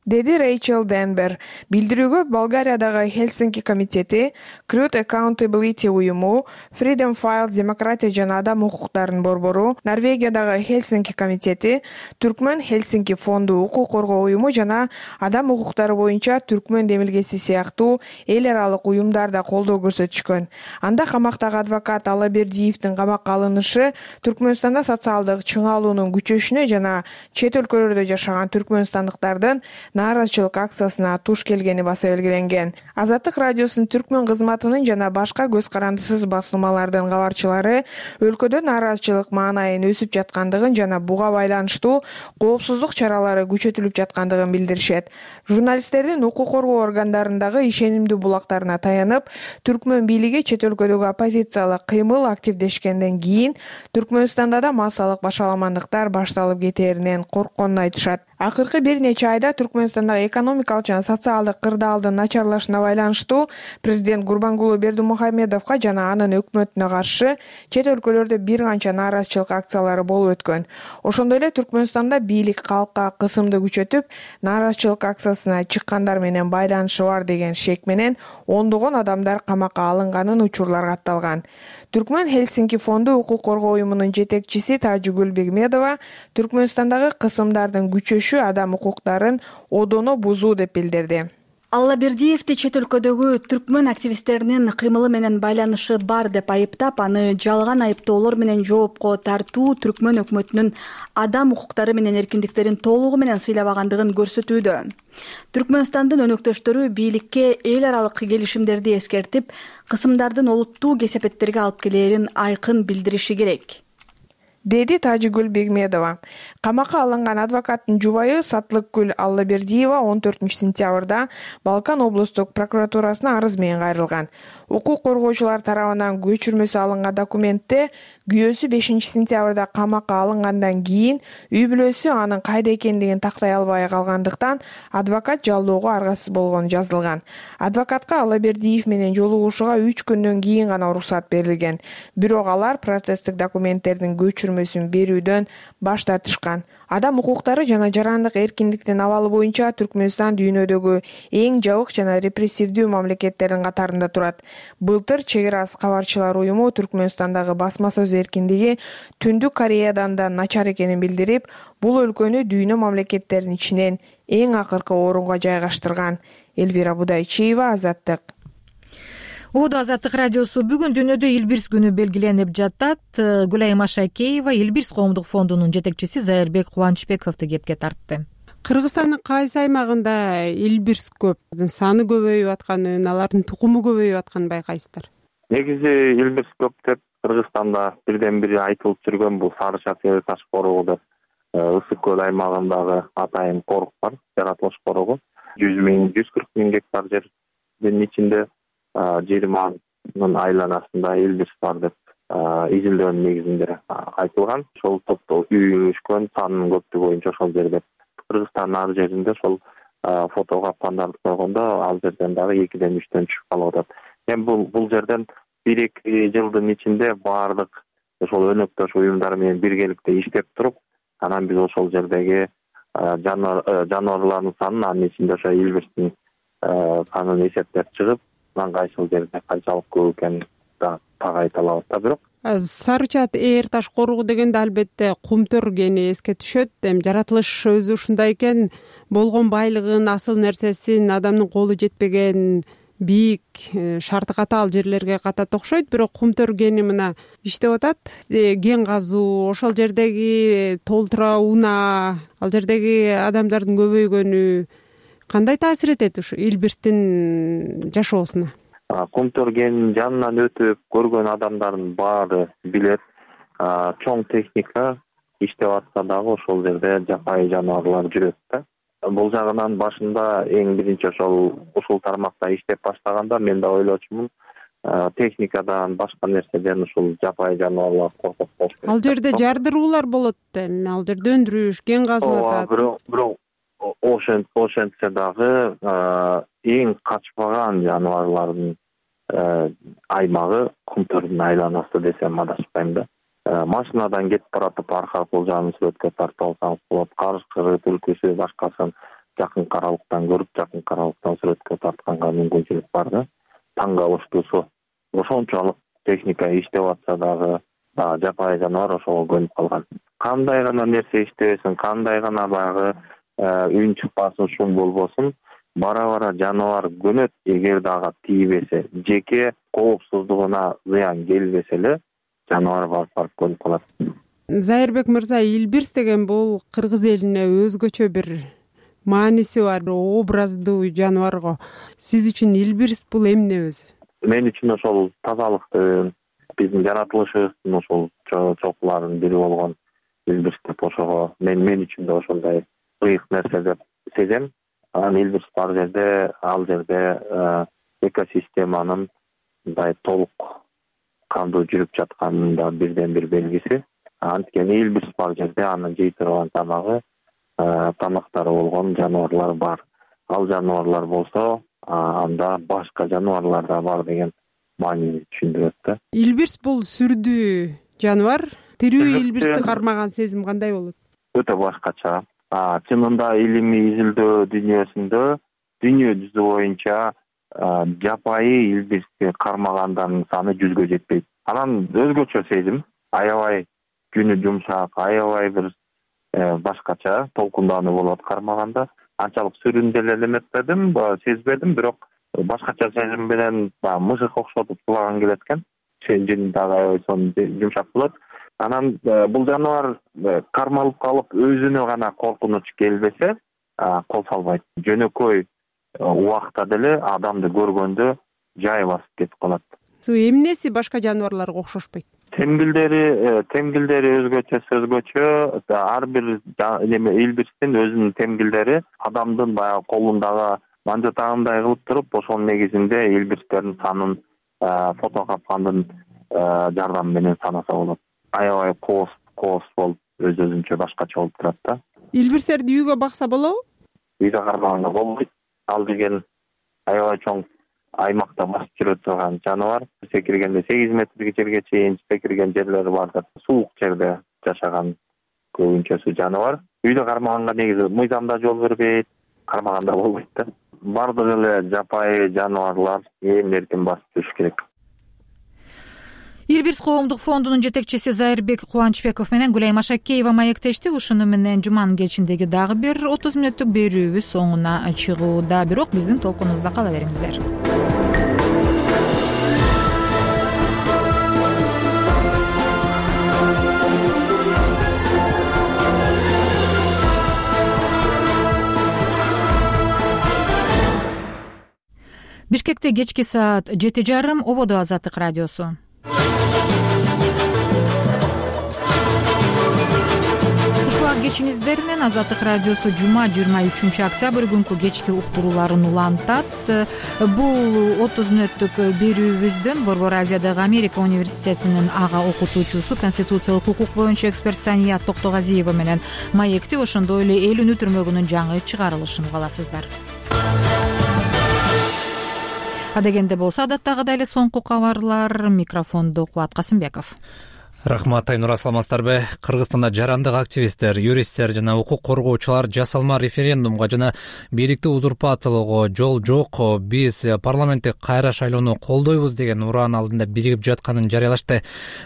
S17: деди Рейчел Денбер. Билдирүүгө Болгариядагы Хелсинки комитети, Truth Accountability уюму, Freedom Files демократия жана адам укуктарынын борбору, Норвегиядагы Хелсинки комитети, Түркмөн Хелсинки фонду, укук коргоо уюму жана адам укуктары боюнча Түркмөн демилгеси сыяктуу эл аралык уюмдар да колдоо көрсөтүшкөн. Анда камактагы адвокат Алабердиевдин камакка алынышы Түркмөнстанда социалдык чыңалуунун күчөшүнө жана чет өлкөлөрдө жашаган түркмөнстандыктардын нааразычылык акциясына туш келгени баса белгиленген. Азаттык радиосунун түркмөн кызматынын жана башка көз карандысыз басылмалардын кабарчылары өлкөдө нааразычылык маанайын өсүп жаткандыгын жана буга байланыштуу коопсуздук чаралары күчөтүлүп жаткандыгын билдиришет. Журналисттердин укук коргоо органдарындагы ишенимдүү булактарына таянып, Түркмөн бийлиги чет өлкөдөгү оппозициялык кыймыл активдешкенден кийин Түркмөнстанда да массалык башаламандыктар башталып кетээринен коркконун айтышат. Акыркы бир нече айда Түркмөнстандагы экономикалык жана социалдык кырдаалдын начарлашына байланыштуу президент Гурбангулы Бердимухамедовго жана анын өкмөтүнө каршы чет өлкөлөрдө бир канча нааразычылык акциялары болуп өткөн. Ошондой эле Түркмөнстанда бийлик калкка кысымды күчөтүп, нааразычылык акциясына чыккандар менен байланышы бар деген шек менен ондогон адамдар камакка алынганын учурлар катталган. Түркмөн Хелсинки фонду укук коргоо уюмунун жетекчиси Тажигүл Бегмедова Түркмөнстандагы кысымдардын күчөшү адам укуктарын одоно бузуу деп билдирди.
S18: Алабердиевди чет өлкөдөгү түркмөн активисттеринин кыймылы менен байланышы бар деп айыптап, аны жалган айыптоолор менен жоопко тартуу Түркмөн өкмөтүнүн адам укуктары менен эркиндиктерин толугу менен сыйлабагандыгын көрсөтүүдө. Түркмөнстандын өнөктөштөрү бийликке эл аралык келишимдерди эскертип, кысымдардын олуттуу кесепеттерге алып келээрин айкын билдириши керек, деди Тажигүл Бегмедова. Камакка алынган адвокаттын жубайы Сатлыкгүл Аллабердиева он төртүнчү сентябрда Балкан облустук прокуратурасына арыз менен кайрылган. Укук коргоочулар тарабынан көчүрмөсү алынган документте күйөөсү бешинчи сентябрда камакка алынгандан кийин үй бүлөсү анын кайда экендигин тактай албай калгандыктан адвокат жалоого аргасыз болгону жазылган. Адвокатка Аллабердиев менен жолугушууга үч күндөн кийин гана уруксат берилген. Бирок алар процесстик документтердин көчүрмө
S17: көчүрмөсүн берүүдөн баш тартышкан. Адам укуктары жана жарандык эркиндиктин абалы боюнча Түркмөнстан дүйнөдөгү эң жабык жана репрессивдүү мамлекеттердин катарында турат. Былтыр Чек ара кабарчылар уюму Түркмөнстандагы басма сөз эркиндиги Түндүк Кореядан да начар экенин билдирип, бул өлкөнү дүйнө мамлекеттеринин ичинен эң акыркы орунга жайгаштырган. Элвира Будайчиева, Азаттык.
S1: Оодо Азаттык радиосу бүгүн дүйнөдө Илбирс күнү белгиленип жатат. Гүлайым Ашакеева Илбирс коомдук фондунун жетекчиси Зайырбек Кубанычбековду кепке тартты.
S19: Кыргызстандын кайсы аймагында Илбирс көп, саны көбөйүп атканын, алардын тукуму көбөйүп атканын байкайсыздар?
S20: Негизи Илбирс көп деп Кыргызстанда бирден бири айтылып жүргөн бул Сары Чак Таш коругу деп Ысык көл аймагындагы атайын корук бар, жаратылыш корогу. жүз миң, жүз кырк миң гектар жердин ичинде жыйырманын айланасында Илбирс бар деп изилдөөнүн негизинде айтылган. Ошол топто үйүшкөн санынын көптүгү боюнча ошол жерде. Кыргызстандын ар жеринде ошол фотого капкандарды койгондо ал жерден дагы экиден үчтөн түшүп калып атат. Эми бул бул жерден бир эки жылдын ичинде баардык ошол өнөктөш уюмдар менен биргеликте иштеп туруп, анан биз ошол жердеги жаныбарлардын санын, анын ичинде ошо Илбирстин санын эсептеп чыгып, анан кайсыл жерде канчалык көп экенин так айта алабыз да. Бирок
S19: Сары Чак Таш коругу дегенде албетте кумтөр кени эске түшөт. Эми жаратылыш өзү ушундай экен, болгон байлыгын, асыл нерсесин адамдын колу жетпеген бийик, шарты катаал жерлерге катат окшойт. Бирок кумтөр кени мына иштеп атат. Кен казуу, ошол жердеги толтура унаа, ал жердеги адамдардын көбөйгөнү кандай таасир этет ушу Илбирстин жашоосуна?
S20: Кумтөр кенинин жанынан өтүп көргөн адамдардын баары билет. Чоң техника иштеп атса дагы ошол жерде жапайы жаныбарлар жүрөт да. Бул жагынан башында эң биринчи ошол ушул тармакта иштеп баштаганда мен да ойлочумун, техникадан, башка нерседен ушул жапайы жаныбарлар коркот болуш керек.
S19: Ал жерде жардыруулар болот эми, ал жерде өндүрүш, кен казып атат.
S20: Бирок бирок ошентсе дагы эң качпаган жаныбарлардын аймагы кумтөрдүн айланасы десем адашпайм да. Машинадан кетип баратып арка кулжаны сүрөткө тартып алсаңыз болот. Карышкыры, түлкүсү, башкасын жакын каралыктан көрүп, жакын каралыктан сүрөткө тартканга мүмкүнчүлүк бар да. Таң калыштуусу ошончолук техника иштеп атса дагы жапайы жаныбар ошого көнүп калган. Кандай гана нерсе иштебесин, кандай гана баягы үн чыкпасын, шум болбосун, бара-бара жаныбар көнөт. Эгер дагы тийбесе, жеке коопсуздугуна зыян келбесе эле жаныбар барып көнүп калат.
S19: Зайырбек мырза, Илбирс деген бул кыргыз элине өзгөчө бир мааниси бар, образдуу жаныбар го. Сиз үчүн Илбирс бул эмне өзү?
S20: Мен үчүн ошол тазалыктын, биздин жаратылышыбыздын ошол чокуларынын бири болгон Илбирс деп ошого мен мен үчүн да ошондой ыйык нерсе деп сезем. Анан Илбирс бар жерде, ал жерде экосистеманын мындай толук кандуу жүрүп жатканынын да бирден бир белгиси. Анткени Илбирс бар жерде анын жей турган тамагы, тамактары болгон жаныбарлар бар. Ал жаныбарлар болсо, анда башка жаныбарлар да бар деген маанини түшүндүрөт да.
S19: Илбирс бул сүрдүү жаныбар. Тирүү Илбирсти кармаган сезим кандай болот?
S20: Өтө башкача. Чынында илимий изилдөө дүйнөсүндө дүйнө жүзү боюнча жапайы Илбирсти кармагандардын саны жүзгө жетпейт. Анан өзгөчө сезим, аябай күнү жумшак, аябай бир башкача толкундануу болот кармаганда. Анчалык сүрүндү эле эметпедим, сезбедим, бирок башкача сезим менен мышык окшотуп сулаган келет экен. Жени дагы аябай сонун жумшак болот. Анан бул жаныбар кармалып калып өзүнө гана коркунуч келбесе, кол салбайт. Жөнөкөй убакта деле адамды көргөндө жай басып кетип калат.
S19: Эмнеси башка жаныбарларга окшошпойт?
S20: Темгилдери, темгилдери өзгөчө өзгөчө. Ар бир неме Илбирстин өзүнүн темгилдери адамдын баягы колундагы манжатагындай кылып туруп, ошонун негизинде Илбирстердин санын фото капкандын жардамы менен санаса болот. Аябай коос, коос болуп, өз өзүнчө башкача болуп турат да.
S19: Илбирстерди үйгө бакса болобу?
S20: Үйдө кармаганда болбойт. Ал деген аябай чоң аймакта басып жүрө турган жаныбар. Секиргенде сегиз метрге жерге чейин секирген жерлери бар да. Суук жерде жашаган көбүнчөсү жаныбар. Үйдө кармаганга негизи мыйзам да жол бербейт, кармаганда болбойт да. Бардык эле жапайы жаныбарлар ээн эркин басып жүрүш керек.
S1: Ирбирс коомдук фондунун жетекчиси Зайырбек Кубанычбеков менен Гүлайым Ашакеева маектешти. Ушуну менен жуманын кечиндеги дагы бир отуз мүнөттүк берүүбүз соңуна чыгууда. Бирок биздин толкунубузда кала бериңиздер. Бишкекте кечки саат жети жарым. Ободо Азаттык радиосу. Кушубак кечиңиздер менен Азаттык радиосу жума жыйырма үчүнчү октябрь күнкү кечки уктурууларын улантат. Бул отуз мүнөттүк берүүбүздөн Борбор Азиядагы Америка университетинин ага окутуучусу, конституциялык укук боюнча эксперт Сания Токтогазиева менен маекти, ошондой эле эл үнү түрмөгүнүн жаңы чыгарылышын угаласыздар. Адегенде болсо адаттагыдай эле соңку кабарлар. Микрофондо Кубат Касымбеков.
S5: Рахмат, Айнура, саламатсыздарбы? Кыргызстанда жарандык активисттер, юристтер жана укук коргоочулар жасалма референдумга жана бийликти узурпациялоого жол жок, биз парламенттик кайра шайлоону колдойбуз деген ураан алдында биригип жатканын жарыялашты.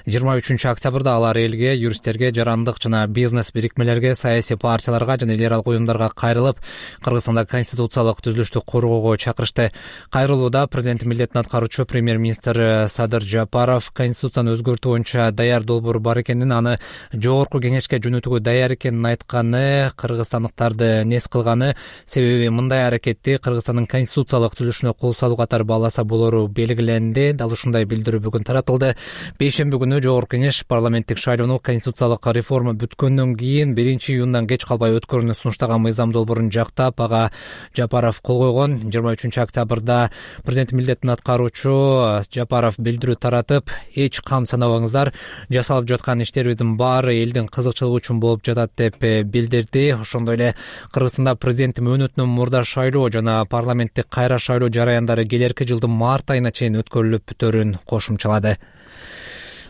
S5: жыйырма үчүнчү октябрда алар элге, юристтерге, жарандык жана бизнес бирикмелерге, саясий партияларга жана эл аралык уюмдарга кайрылып, Кыргызстанда конституциялык түзүлүштү коргоого чакырышты. Кайрылууда президент милдетин аткаруучу премьер-министр Садыр Жапаров конституцияны өзгөртүү боюнча даяр долбоор бар экенин, аны жогорку кеңешке жөнөтүүгө даяр экенин айтканы, кыргызстандыктарды нес кылганы, себеби мындай аракетти Кыргызстандын конституциялык түзүлүшүнө кол салуу катары бааласа болору белгиленди. Дал ушундай билдирүү бүгүн таратылды. Бейшемби күнү жогорку кеңеш парламенттик шайлоону конституциялык реформа бүткөндөн кийин биринчи июндан кеч калбай өткөрүүнү сунуштаган мыйзам долбоорун жактап, ага Жапаров кол койгон. жыйырма үчүнчү октябрда президент милдетин аткаруучу Жапаров билдирүү таратып, эч кам санабаңыздар, жасалып жаткан иштерибиздин баары элдин кызыкчылыгы үчүн болуп жатат деп билдирди. Ошондой эле Кыргызстанда президент мөөнөтүнөн мурда шайлоо жана парламенттик кайра шайлоо жараяндары келерки жылдын март айына чейин өткөрүлүп бүтөөрүн кошумчалады.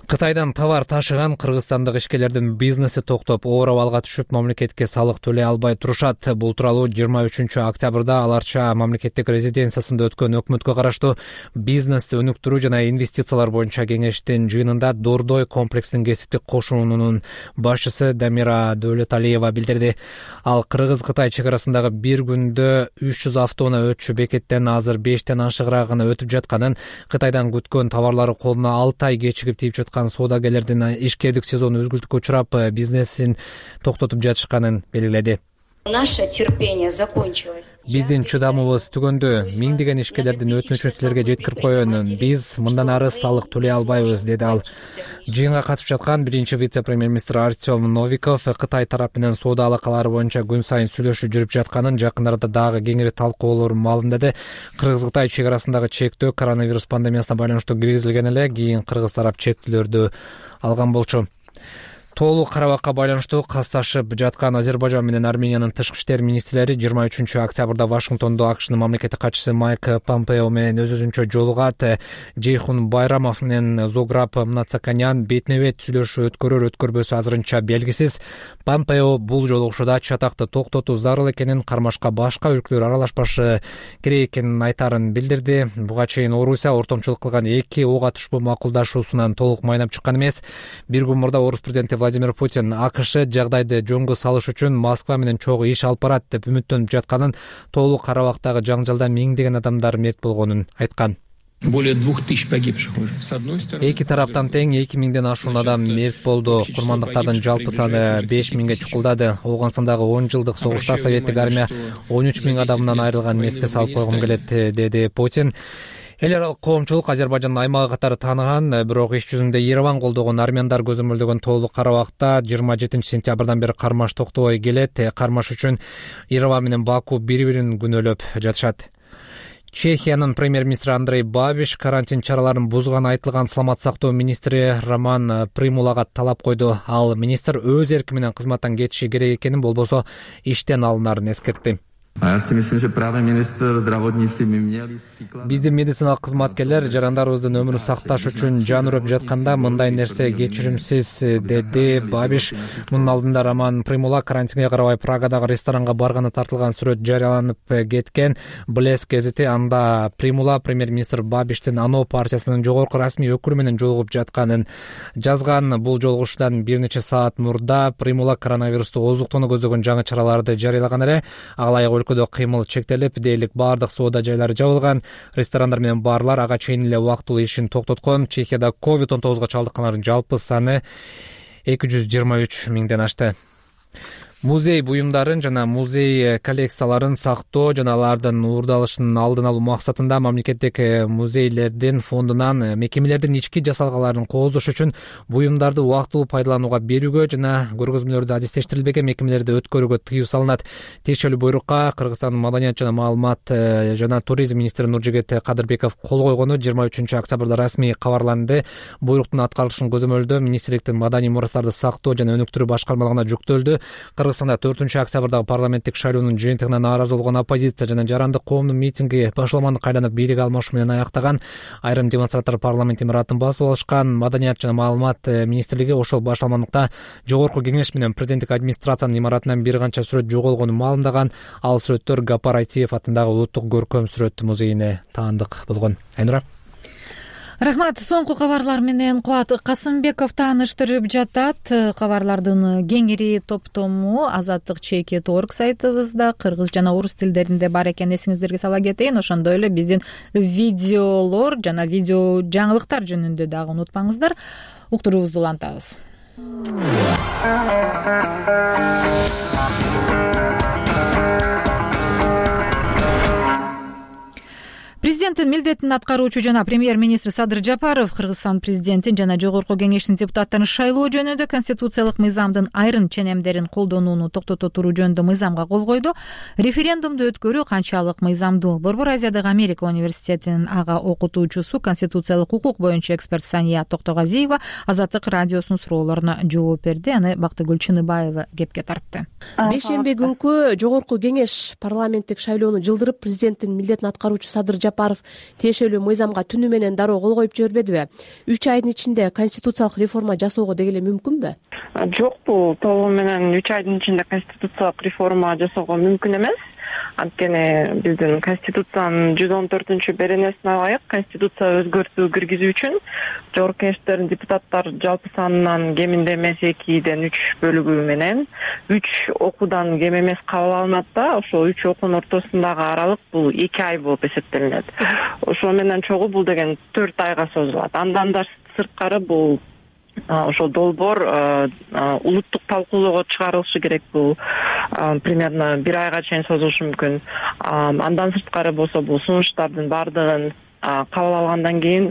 S5: Кытайдан товар ташыган кыргызстандык ишкерлердин бизнеси токтоп, оор абалга түшүп, мамлекетке салык төлөй албай турушат. Бул тууралуу жыйырма үчүнчү октябрда аларча мамлекеттик резиденциясында өткөн өкмөткө караштуу бизнести өнүктүрүү жана инвестициялар боюнча кеңештин жыйынында Дордой комплексинин кесиптик кошуунунун башчысы Дамира Дөөлөталиева билдирди. Ал Кыргыз-Кытай чек арасындагы бир күндө үч жүз автоунаа өтчү бекеттен азыр бештен ашыгыраак гана өтүп жатканын, Кытайдан күткөн товарлары колуна алты ай кечигип тийип жаткан соодагерлердин ишкердик сезону өзгүлтүккө учурап, бизнесин токтотуп жатышканын белгиледи.
S21: Наше терпение закончилось.
S5: Биздин чыдамыбыз түгөндү. Миңдеген ишкерлердин өтүнүчүн силерге жеткирип коеюн. Биз мындан ары салык төлөй албайбыз, деди ал. Жыйынга катышып жаткан биринчи вице-премьер-министр Артем Новиков Кытай тарап менен соода алакалары боюнча күн сайын сүйлөшүү жүрүп жатканын, жакын арада дагы кеңири талкуулар маалымдады. Кыргыз-Кытай чек арасындагы чектөө коронавирус пандемиясына байланыштуу киргизилген эле, кийин кыргыз тарап чектөөлөрдү алган болчу. Тоолуу карабакка байланыштуу касташып жаткан Азербайжан менен Армениянын тышкы иштер министрлери жыйырма үчүнчү октябрда Вашингтондо АКШнын мамлекеттик катчысы Майк Помпео менен өз-өзүнчө жолугат. Жейхун Байрамов менен Зограб Мнацаканян бетине бет сүйлөшүү өткөрөр өткөрбөсү азырынча белгисиз. Помпео бул жолугушууда чатакты токтотуу зарыл экенин, кармашка башка өлкөлөр аралашпашы керек экенин айтарын билдирди. Буга чейин Орусия ортомчулук кылган эки ок атышпоо макулдашуусунан толук майнап чыккан эмес. Бир күн мурда орус президенти Владимир Путин АКШ жагдайды жөнгө салыш үчүн Москва менен чогуу иш алып барат деп үмүттөнүп жатканын, тоолуу Карабактагы жаңжалда миңдеген адамдар мерт болгонун айткан.
S2: Более двух тысяч погибших с одной стороны.
S5: Эки тараптан тең эки миңден ашуун адам мерт болду. Курмандыктардын жалпы саны беш миңге чукулдады. Ооганстандагы он жылдык согушта советтик армия он үч миң адамынан айрылганын эске салып койгум келет, деди Путин. Эл аралык коомчулук Азербайжандын аймагы катары тааныган, бирок иш жүзүндө Ереван колдогон армяндар көзөмөлдөгөн тоолуу Карабакта жыйырма жетинчи сентябрдан бери кармаш токтобой келет. Кармаш үчүн Ереван менен Баку бири-бирин күнөөлөп жатышат. Чехиянын премьер-министри Андрей Бабиш карантин чараларын бузганы айтылган саламат сактоо министри Роман Примулага талап койду. Ал министр өз эрки менен кызматтан кетиши керек экенин, болбосо иштен алынарын эскертти. Биздин медициналык кызматкерлер жарандарыбыздын өмүрүн сакташ үчүн жан үрөп жатканда мындай нерсе кечиримсиз, деди Бабиш. Мунун алдында Роман Примула карантинге карабай Прагадагы ресторанга барганы тартылган сүрөт жарыяланып кеткен. Блеск гезити анда Примула премьер-министр Бабиштин ано партиясынын жогорку расмий өкүлү менен жолугуп жатканын жазган. Бул жолугушуудан бир нече саат мурда Примула коронавирусту ооздуктоону көздөгөн жаңы чараларды жарыялаган эле. Ага ылайык өлкөдө кыймыл чектелип, дээрлик баардык соода жайлары жабылган. Ресторандар менен барлар ага чейин эле убактылуу ишин токтоткон. Чехияда ковид он тогузга чалдыккандардын жалпы саны эки жүз жыйырма үч миңден ашты. Музей буюмдарын жана музей коллекцияларын сактоо жана алардын уурдалышынын алдын алуу максатында мамлекеттик музейлердин фондунан мекемелердин ички жасалгаларын кооздош үчүн буюмдарды убактылуу пайдаланууга берүүгө жана көргөзмөлөрдү адистештирилбеген мекемелерде өткөрүүгө тыюу салынат. Тиешелүү буйрукка Кыргызстандын маданият жана маалымат жана туризм министри Нуржигит Кадырбеков кол койгону жыйырма үчүнчү октябрда расмий кабарланды. Буйруктун аткарылышын көзөмөлдөө министрликтин маданий мурастарды сактоо жана өнүктүрүү башкармалыгына жүктөлдү. Кыргызстанда төртүнчү октябрдагы парламенттик шайлоонун жыйынтыгына нааразы болгон оппозиция жана жарандык коомдун митинги башаламандыкка айланып бийлик алмашуу менен аяктаган. Айрым демонстранттар парламент имаратын басып алышкан. Маданият жана маалымат министрлиги ошол башаламандыкта жогорку кеңеш менен президенттик администрациянын имаратынан бир канча сүрөт жоголгонун маалымдаган. Ал сүрөттөр Гапар Айтиев атындагы улуттук көркөм сүрөт музейине таандык болгон. Айнура.
S1: Рахмат. Соңку кабарлар менен Кубат Касымбеков тааныштырып жатат. Кабарлардын кеңири топтому Азаттык чекит орг сайтыбызда кыргыз жана орус тилдеринде бар экенин эсиңиздерге сала кетейин. Ошондой эле биздин видеолор жана видео жаңылыктар жөнүндө дагы унутпаңыздар. Уктуруубузду улантабыз. Президенттин милдетин аткаруучу жана премьер-министр Садыр Жапаров Кыргызстан президентин жана жогорку кеңештин депутаттарын шайлоо жөнүндө конституциялык мыйзамдын айрым ченемдерин колдонууну токтото туруу жөнүндө мыйзамга кол койду. Референдумду өткөрүү канчалык мыйзамдуу? Борбор Азиядагы Америка университетинин ага окутуучусу, конституциялык укук боюнча эксперт Сания Токтогазиева Азаттык радиосунун суроолоруна жооп берди. Аны Бактыгүл Чыныбаева кепке тартты.
S6: Бешемби күнкү жогорку кеңеш парламенттик шайлоону жылдырып, президенттин милдетин аткаруучу Садыр Жапаров тиешелүү мыйзамга түнү менен дароо кол коюп жибербедиби? үч айдын ичинде конституциялык реформа жасоого деги эле мүмкүнбү?
S22: Жок, бул толугу менен үч айдын ичинде конституциялык реформа жасоого мүмкүн эмес. Анткени биздин конституциянын жүз он төртүнчү беренесине ылайык конституция өзгөртүү киргизүү үчүн жогорку кеңештердин депутаттар жалпы санынан кеминде эмес экиден үч бөлүгү менен үч окуудан кем эмес кабыл алынат да, ошол үч окуунун ортосундагы аралык бул эки ай болуп эсептелинет. Ошол менен чогуу бул деген төрт айга созулат. Андан да сырткары бул ошол долбоор улуттук талкуулоого чыгарылышы керек. Бул примерно бир айга чейин созулушу мүмкүн. Андан сырткары болсо бул сунуштардын баардыгын кабыл алгандан кийин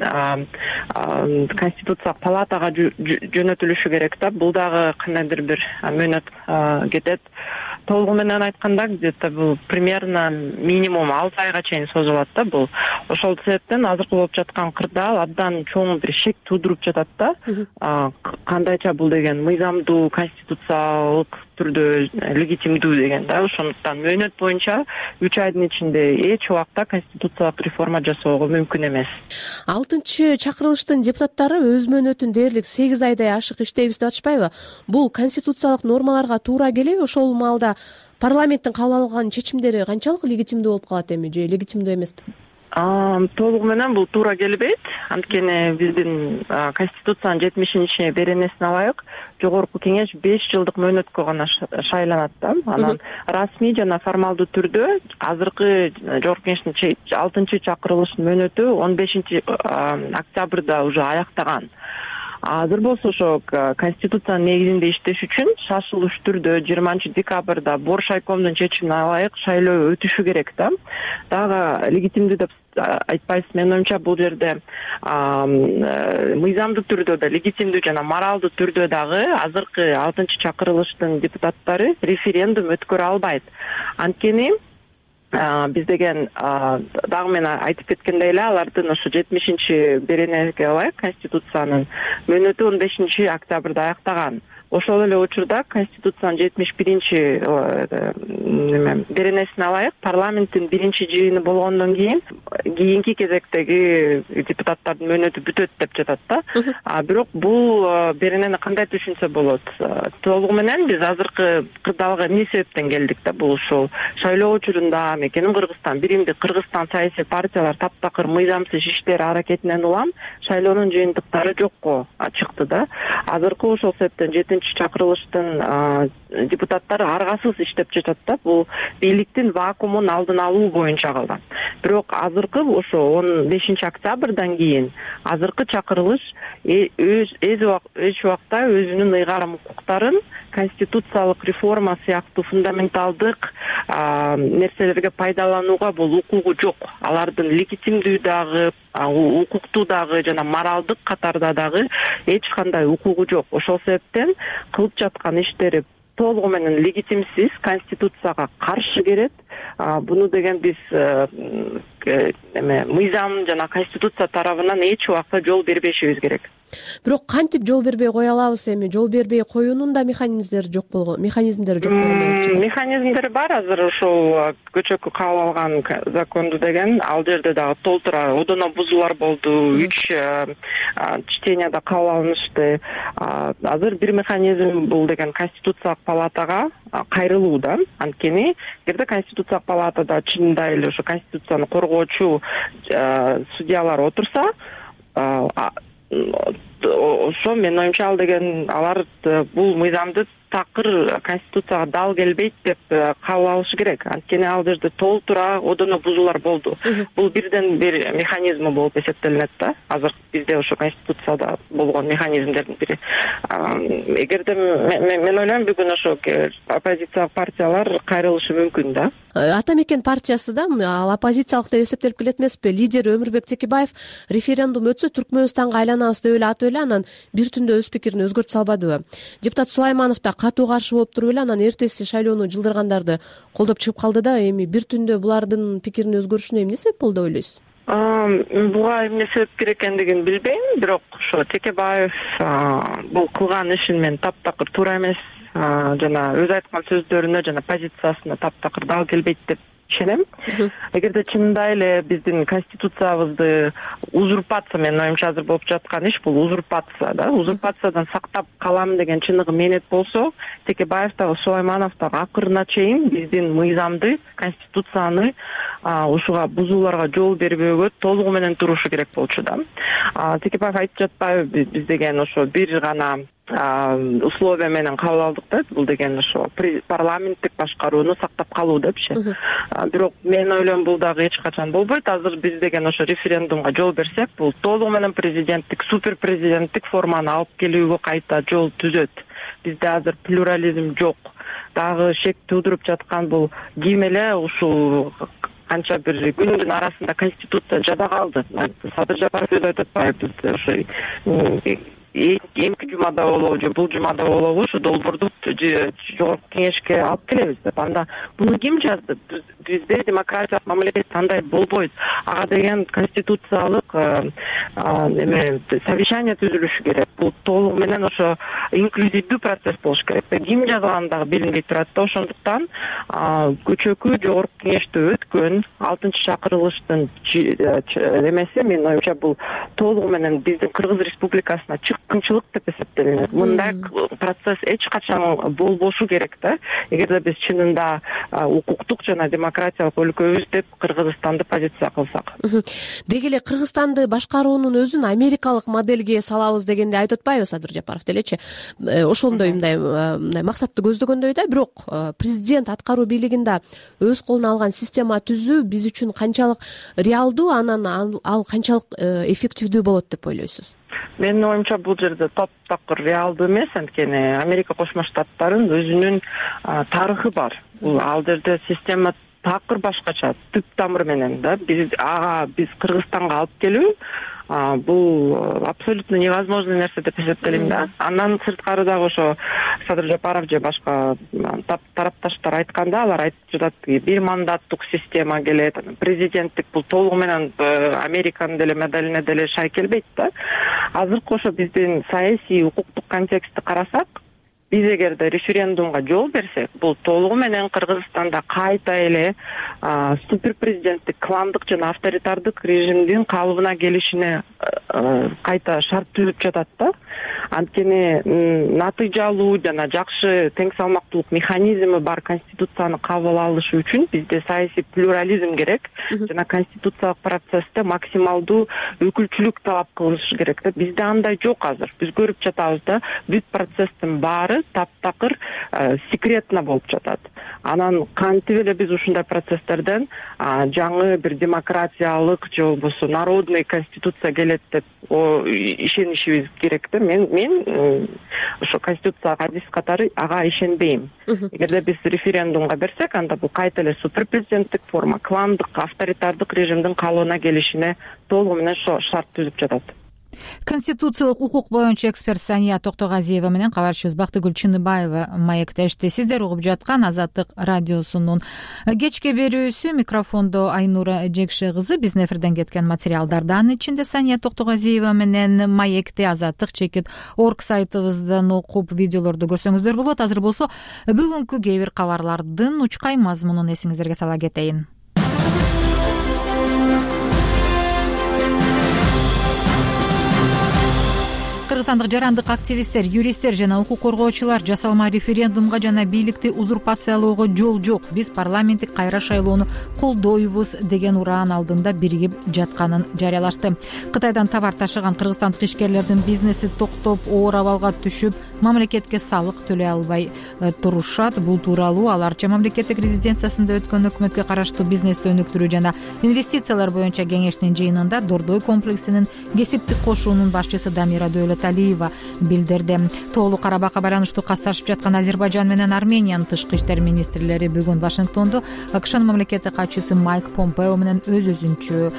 S22: конституциялык палатага жөнөтүлүшү керек да. Бул дагы кандайдыр бир мөөнөт кетет. Толугу менен айтканда где-то бул примерно минимум алты айга чейин созулат да бул. Ошол себептен азыркы болуп жаткан кырдаал абдан чоң бир шек туудуруп жатат да. Кандайча бул деген мыйзамдуу, конституциялык түрдө легитимдүү деген да. Ошондуктан мөөнөт боюнча үч айдын ичинде эч убакта конституциялык реформа жасоого мүмкүн эмес.
S6: алтынчы чакырылыштын депутаттары өз мөөнөтүн дээрлик сегиз айдай ашык иштейбиз деп атышпайбы? Бул конституциялык нормаларга туура келеби? Ошол маалда парламенттин кабыл алган чечимдери канчалык легитимдүү болуп калат эми же легитимдүү эмеспи?
S22: Толугу менен бул туура келбейт. Анткени биздин конституциянын жетимишинчи беренесине ылайык жогорку кеңеш беш жылдык мөөнөткө гана шайланат да. Анан расмий жана формалдуу түрдө азыркы жогорку кеңештин алтынчы чакырылышынын мөөнөтү он бешинчи октябрда уже аяктаган. Азыр болсо ошо конституциянын негизинде иштеш үчүн шашылыш түрдө жыйырманчы декабрда Боршайкомдун чечимине ылайык шайлоо өтүшү керек да. Дагы легитимдүү деп айтпайсыз. Менин оюмча бул жерде мыйзамдуу түрдө да, легитимдүү жана моралдуу түрдө дагы азыркы алтынчы чакырылыштын депутаттары референдум өткөрө албайт. Анткени биз деген дагы мен айтып кеткендей эле алардын ошо жетимишинчи беренеге ылайык конституциянын мөөнөтү он бешинчи октябрда аяктаган. ошол эле учурда конституциянын жетимиш биринчи неме беренесине алайык, парламенттин биринчи жыйыны болгондон кийин кийинки кезектеги депутаттардын мөөнөтү бүтөт деп жатат да. А бирок бул беренени кандай түшүнсө болот? Толугу менен биз азыркы кырдаалга эмне себептен келдик да? Бул ушул шайлоо учурунда мекеним Кыргызстан, биримдик Кыргызстан саясий партиялар таптакыр мыйзамсыз иштер аракетинен улам шайлоонун жыйынтыктары жокко чыкты да. Азыркы ошол себептен жетинчи чакырылыштын депутаттары аргасыз иштеп жатат да. Бул бийликтин вакуумун алдын алуу боюнча калган. Бирок азыркы ошо он бешинчи октябрдан кийин азыркы чакырылыш эч убакта өзүнүн ыйгарым укуктарын конституциялык реформа сыяктуу фундаменталдык нерселерге пайдаланууга бул укугу жок. Алардын легитимдүү дагы, укуктуу дагы жана моралдык катарда дагы эч кандай укугу жок. Ошол себептен кылып жаткан иштери толугу менен легитимсиз, конституцияга каршы келет. Буну деген биз эме мыйзам жана конституция тарабынан эч убакта жол бербешибиз керек.
S6: Бирок кантип жол бербей кое алабыз эми? Жол бербей коюунун да механизмдери жок болгон, механизмдери жок болгон.
S22: Механизмдери бар. Азыр ошол көчөккө кабыл алган законду деген ал жерде дагы толтура одоно бузуулар болду. Үч чтенияда кабыл алынышты. Азыр бир механизм бул деген конституциялык палатага кайрылуу да. Анткени эгерде конституциялык палатада чынында эле ошо конституцияны коргоочу судьялар отурса, ошо менин оюмча ал деген алар бул мыйзамды такыр конституцияга дал келбейт деп кабыл алышы керек. Анткени ал жерде толтура одоно бузуулар болду. Бул бирден бир механизми болуп эсептелинет да. Азыр бизде ошо конституцияда болгон механизмдердин бири. Эгерде мен ойлойм бүгүн ошо оппозициялык партиялар кайрылышы мүмкүн да.
S6: Ата мекен партиясы да ал оппозициялык деп эсептелип келет эмеспи? Лидер Өмүрбек Текебаев референдум өтсө Түркмөнстанга айланабыз деп эле атып эле анан бир түндө өз пикирин өзгөртүп салбадыбы? Депутат Сулайманов да катуу каршы болуп туруп эле анан эртеси шайлоону жылдыргандарды колдоп чыгып калды да. Эми бир түндө булардын пикирин өзгөрүшүнө эмне себеп болду деп ойлойсуз?
S22: Буга эмне себеп керек экендигин билбейм, бирок ошо Текебаев бул кылган ишин мен таптакыр туура эмес жана өзү айткан сөздөрүнө жана позициясына таптакыр дал келбейт деп ишенем. Эгерде чынында эле биздин конституциябызды узурпация, менин оюмча азыр болуп жаткан иш бул узурпация да. Узурпациядан сактап калам деген чыныгы менет болсо, Текебаев дагы Сулайманов дагы акырына чейин биздин мыйзамды, конституцияны ушуга бузууларга жол бербөөгө толугу менен турушу керек болчу да. Текебаев айтып жатпайбы биз деген ошо бир гана условия менен кабыл алдык да. Бул деген ошо парламенттик башкарууну сактап калуу депчи. Бирок мен ойлойм бул дагы эч качан болбойт. Азыр биз деген ошо референдумга жол берсек, бул толугу менен президенттик, супер президенттик форманы алып келүүгө кайта жол түзөт. Бизде азыр плюрализм жок. Дагы шек туудуруп жаткан бул ким эле ушул канча бир күндүн арасында конституция жада калды. Садыр Жапаров өзү айтып атпайбы, ошо эмки жумада болобу же бул жумада болобу ушу долбоорду жогорку кеңешке алып келебиз деп. Анда буну ким жазды? Бизде демократиялык мамлекет андай болбойт. Ага деген конституциялык эме совещание түзүлүшү керек. Бул толугу менен ошо инклюзивдүү процесс болуш керек. Ким жазганы дагы билинбей турат да. Ошондуктан көчөкү жогорку кеңеште өткөн алтынчы чакырылыштын эмеси менин оюмча бул толугу менен биздин Кыргыз Республикасына чыккынчылык деп эсептелинет. Мындай процесс эч качан болбошу керек да. Эгерде биз чынында укуктук жана демократиялык өлкөбүз деп Кыргызстанды позиция кылсак.
S6: Деги эле Кыргызстанды башкаруунун өзүн америкалык модельге салабыз дегенди айтып атпайбы Садыр Жапаров делечи? Ошондой мындай мындай максатты көздөгөндөй да. Бирок президент аткаруу бийлигинде өз колуна алган система түзүү биз үчүн канчалык реалдуу, анан ал канчалык эффективдүү болот деп ойлойсуз?
S22: Менин оюмча бул жерде таптакыр реалдуу эмес. Анткени Америка Кошмо Штаттарынын өзүнүн тарыхы бар. Бул ал жерде система такыр башкача, түп тамыр менен да. Биз ага биз Кыргызстанга алып келүү бул абсолютно невозможный нерсе деп эсептелейм да. Андан сырткары дагы ошо Садыр Жапаров же башка тарапташтар айтканда, алар айтып жатат, бир мандаттык система келет, президенттик бул толугу менен Американын деле моделине деле шай келбейт да. Азыркы ошо биздин саясий укуктук контекстти карасак, биз эгерде референдумга жол берсек, бул толугу менен Кыргызстанда кайта эле суперпрезиденттик, кландык жана авторитардык режимдин калыбына келишине кайта шарт түзүп жатат да. Анткени натыйжалуу жана жакшы тең салмактуулук механизми бар конституцияны кабыл алыш үчүн бизде саясий плюрализм керек жана конституциялык процессте максималдуу өкүлчүлүк талап кылыш керек да. Бизде андай жок азыр. Биз көрүп жатабыз да, бүт процесстин баары таптакыр секретно болуп жатат. Анан кантип эле биз ушундай процесстерден жаңы бир демократиялык же болбосо народный конституция келет деп ишенишибиз керек да. Мен мен ошо конституцияга адис катары ага ишенбейм. Эгерде биз референдумга берсек, анда бул кайта эле суперпрезиденттик форма, кландык, авторитардык режимдин калыбына келишине толугу менен шарт түзүп жатат.
S1: Конституциялык укук боюнча эксперт Сания Токтогазиева менен кабарчыбыз Бактыгүл Чыныбаева маектешти. Сиздер угуп жаткан Азаттык радиосунун кечки берүүсү. Микрофондо Айнура Жекше кызы. Биздин эфирден кеткен материалдарды анын ичинде Сания Токтогазиева менен маекти Азаттык чекит орг сайтыбыздан окуп, видеолорду көрсөңүздөр болот. Азыр болсо бүгүнкү кээ бир кабарлардын учкай мазмунун эсиңиздерге сала кетейин. Кыргызстандык жарандык активисттер, юристтер жана укук коргоочулар жасалма референдумга жана бийликти узурпациялоого жол жок, биз парламенттик кайра шайлоону колдойбуз деген ураан алдында биригип жатканын жарыялашты. Кытайдан товар ташыган кыргызстандык ишкерлердин бизнеси токтоп, оор абалга түшүп, мамлекетке салык төлөй албай турушат. Бул тууралуу аларча мамлекеттик резиденциясында өткөн өкмөткө караштуу бизнести өнүктүрүү жана инвестициялар боюнча кеңештин жыйынында Дордой комплексинин кесиптик кошуунун башчысы Дамира Алиева билдирди. Тоолуу Карабакка байланыштуу касташып жаткан Азербайжан менен Армениянын тышкы иштер министрлери бүгүн Вашингтондо АКШнын мамлекеттик катчысы Майк Помпео менен өз-өзүнчө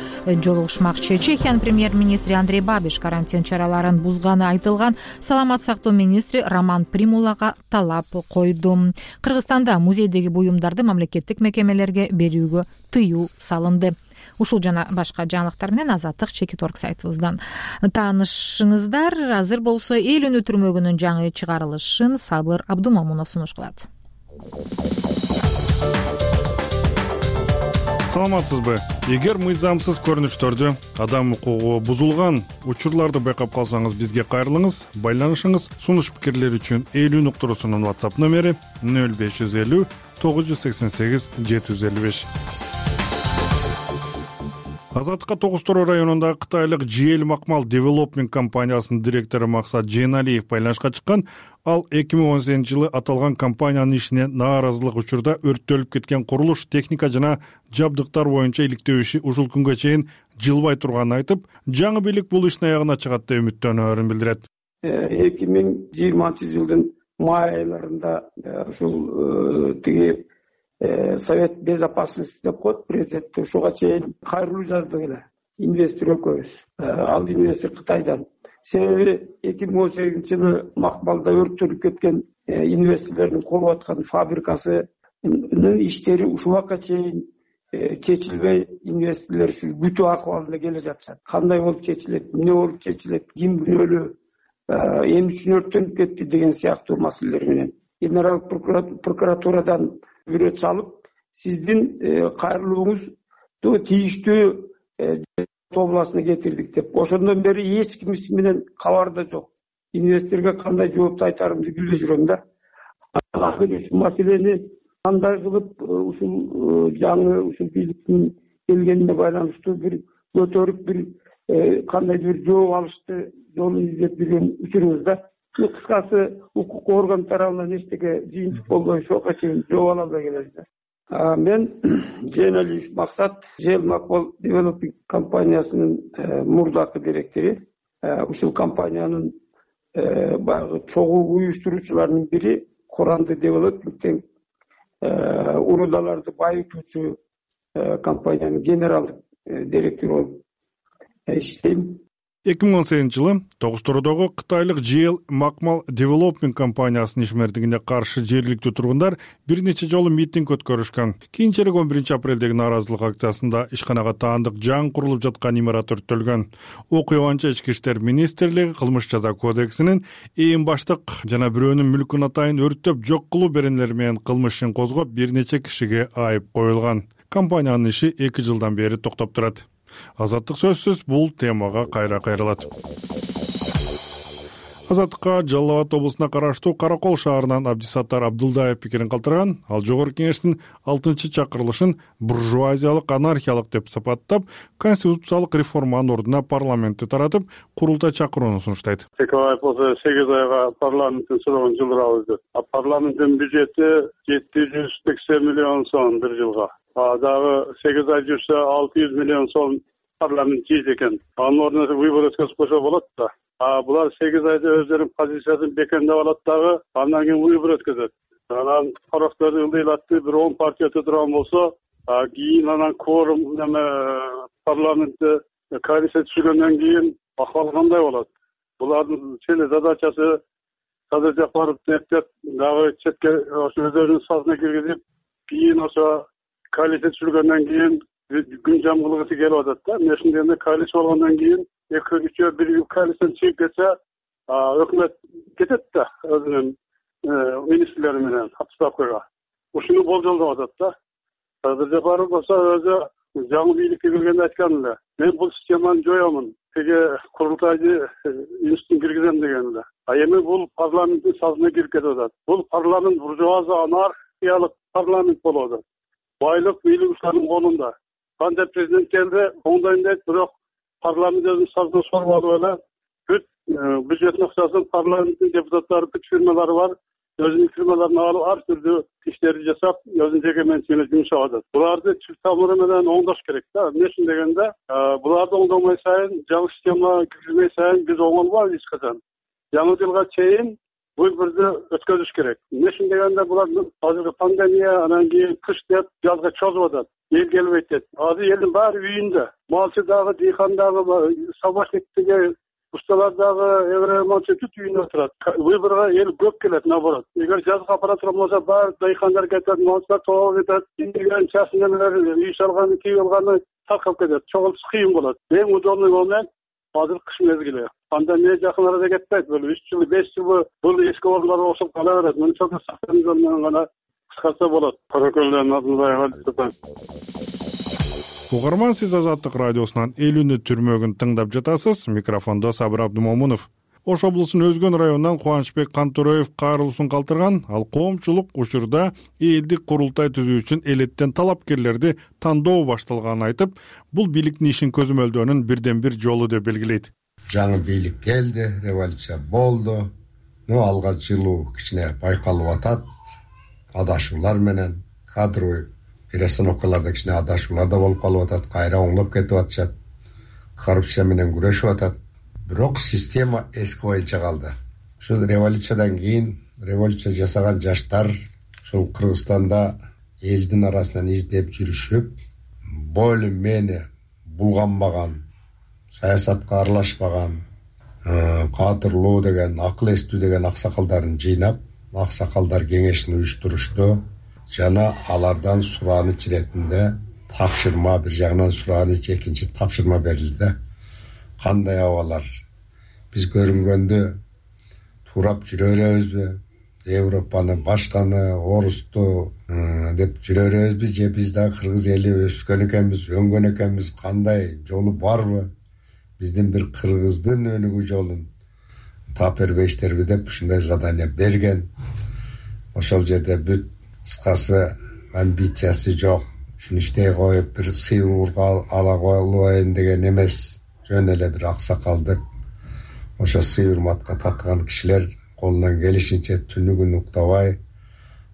S1: жолугушмакчы. Чехиянын премьер-министри Андрей Бабиш карантин чараларын бузганы айтылган саламат сактоо министри Роман Примулага талап койду. Кыргызстанда музейдеги буюмдарды мамлекеттик мекемелерге берүүгө тыюу салынды. Ушул жана башка жаңылыктар менен Азаттык чекит орг сайтыбыздан таанышыңыздар. Азыр болсо эл үнү түрмөгүнүн жаңы чыгарылышын Сабыр Абдумамунов сунуш кылат.
S7: Саламатсызбы? Эгер мыйзамсыз көрүнүштөрдү, адам укугу бузулган учурларды байкап калсаңыз, бизге кайрылыңыз, байланышыңыз. Сунуш пикирлер үчүн эл үн уктуруусунун WhatsApp номери нөл беш жүз элүү тогуз жүз сексен сегиз жети жүз элүү беш. Азаттыкка Тогуз Тороо районундагы кытайлык джи эл Макмал Development компаниясынын директору Максат Жейналиев байланышка чыккан. Ал эки миң он сегизинчи жылы аталган компаниянын ишине нааразылык учурда өрттөлүп кеткен курулуш техника жана жабдыктар боюнча иликтөө иши ушул күнгө чейин жылбай турганын айтып, жаңы бийлик бул иштин аягына чыгат деп үмүттөнөөрүн билдирет.
S8: эки миң жыйырманчы жылдын май айларында ушул тиги Совет безопасности деп коет президент, ушуга чейин кайрылуу жаздык эле инвестор экөөбүз. Ал инвестор Кытайдан. Себеби эки миң он сегизинчи жылы Макмалда өрттөлүп кеткен инвесторлордун куруп аткан фабрикасынын иштери ушул убакка чейин чечилбей, инвесторлор ушул күтүү акыбалында келе жатышат. Кандай болуп чечилет, эмне болуп чечилет, ким күнөөлүү, эмне үчүн өрттөнүп кетти деген сыяктуу маселелер менен генералдык прокуратурадан бирөө чалып, сиздин кайрылууңузду тийиштүү тобуласына кетирдик деп. Ошондон бери эч ким менен кабарда жок. Инвесторго кандай жоопту айтарымды билбей жүрөм да. Маселени кандай кылып ушул жаңы ушул бийликтин келгенине байланыштуу бир көтөрүп бир кандайдыр бир жооп алышты жолун издеп жүргөн учурубузда. Кыскасы укук орган тарабынан эчтеке жыйынтык болбой ошого чейин жооп ала албай келебиз. Мен Жейналиев Максат, джи эл Макмал Development компаниясынын мурдакы директору. Ушул компаниянын баягы чогуу уюштуруучуларынын бири Куранды Development'тен урудаларды байытуучу компаниянын генералдык директору болуп иштейм.
S7: эки миң он сегизинчи жылы тогузтородогу кытайлык джи эл Макмал Development компаниясынын ишмердигине каршы жергиликтүү тургундар бир нече жолу митинг өткөрүшкөн. Кийинчерээк он биринчи апрелдеги нааразылык акциясында ишканага таандык жан курулуп жаткан имарат өрттөлгөн. Окуя боюнча Ички иштер министрлиги кылмыш жаза кодексинин эң баштык жана бирөөнүн мүлкүн атайын өрттөп жок кылуу беренелери менен кылмыш ишин козгоп бир нече кишиге айып коюлган. Компаниянын иши эки жылдан бери токтоп турат. Азаттык сөзсүз бул темага кайра кайрылат. Азаттыкка Жалал Абад облусуна караштуу Каракол шаарынан Абдисаттар Абдылдаев пикирин калтырган. Ал жогорку кеңештин алтынчы чакырылышын буржуазиялык, анархиялык деп сапаттап, конституциялык реформанын ордуна парламентти таратып, курултай чакырууну сунуштайт.
S3: Текебаев болсо сегиз айга парламенттин срогун жылдырабыз деп. А парламенттин бюджети жети жүз сексен миллион сом бир жылга. А дагы сегиз ай жүрсө алты жүз миллион сом парламент жейт экен. Анын ордуна выбор өткөзүп койсо болот да. А булар сегиз айда өздөрүнүн позициясын бекемдеп алат дагы, андан кийин выбор өткөзөт. Анан тарапторду ылдыйлатты, бир он партия турган болсо, кийин анан кворум неме парламентте коалиция түзүлгөндөн кийин акыбал кандай болот? Булардын чын задачасы Садыр Жапаров эптеп дагы четке ошо өздөрүнүн сазына киргизип, кийин ошо коалиция түзүлгөндөн кийин күн жамгылыгысы келип атат да. Мен ошондой коалиция болгондон кийин эки үчөө бир коалициядан чыгып кетсе, өкмөт кетет да өзүнүн министрлери менен отставкага. Ушуну болжолдоп атат да. Садыр Жапаров болсо өзү жаңы бийликке келгенде айткан эле. Мен бул системаны жоёмун. Теге курултайды институтун киргизем деген эле. А эми бул парламенттин сазына кирип кетип атат. Бул парламент буржуазия анархиялык парламент болуп атат. Байлык бийлик ушулардын колунда. Канча президент келди, оңдойм дейт, бирок парламент өзүнүн сазына соруп алып эле бүт бюджеттин акчасын парламенттин депутаттары бүт фирмалары бар, өзүнүн фирмаларын алып ар түрдүү иштерди жасап, өзүнүн жеке менчигине жумшап атат. Буларды чүп тамыры менен оңдош керек да. Эмне үчүн дегенде, буларды оңдомой сайын, жаңы система киргизмей сайын биз оңолбойбуз эч качан. Жаңы жылга чейин выборду өткөзүш керек. Эмне үчүн дегенде, булар азыркы пандемия, анан кийин кыш деп жазга чозуп атат. Эл келбейт дейт. Азыр элдин баары үйүндө. Малчы дагы, дыйкан дагы, сабашниктиги, усталар дагы, эвре малчы бүт үйүндө отурат. Выборго эл көп келет, наоборот. Эгер жазга аппарат болсо, баары дыйкандар кетет, малчылар тоолуп кетет, индеген часын эмелер, үй салганы, кийип алганы таркап кетет. Чогулуш кыйын болот. Эң удобный момент азыр кыш мезгили. Пандемия жакын арада кетпейт. Бул үч жыл, беш жыл бул эски орундар окшоп кала берет. Мына чоң сактануу менен гана кыскартса болот. Каракөлдөн Абдылдаев.
S7: Угарман, сиз Азаттык радиосунан элүүнү түрмөгүн тыңдап жатасыз. Микрофондо Сабыр Абдымомунов. Ош облусунун Өзгөн районунан Кубанычбек Кантороев кайрылуусун калтырган. Ал коомчулук учурда элдик курултай түзүү үчүн элеттен талапкерлерди тандоо башталганын айтып, бул бийликтин ишин көзөмөлдөөнүн бирден бир жолу деп белгилейт.
S11: Жаңы бийлик келди, революция болду. Ну, алга жылуу кичине байкалып атат. Адашуулар менен кадровый перестановкаларда кичине адашуулар да болуп калып атат, кайра оңдоп кетип атышат. Коррупция менен күрөшүп атат. Бирок система эски боюнча калды. Ушул революциядан кийин революция жасаган жаштар ушул Кыргызстанда элдин арасынан издеп жүрүшүп, более-менее булганбаган, саясатка аралашпаган, кадырлуу деген, акыл эстүү деген аксакалдарын жыйнап, аксакалдар кеңешин уюштурушту. Жана алардан сураныч иретинде тапшырма, бир жагынан сураныч, экинчи тапшырма берилди. Кандай абалар биз көрүнгөндө турап жүрө беребизби? Европаны, башканы, орусту деп жүрө беребизби? Же биз да кыргыз эли өскөн экенбиз, өңгөн экенбиз? Кандай жолу барбы? Биздин бир кыргыздын өнүгүү жолун таап бербейсиздерби деп ушундай задание берген. Ошол жерде бүт кыскасы амбициясы жок. Ушуну иштей коюп бир сыйырууга ала коелуайын деген эмес. Жөн эле бир аксакалдык ошо сый-урматка татыган кишилер колунан келишинче түнү күн уктабай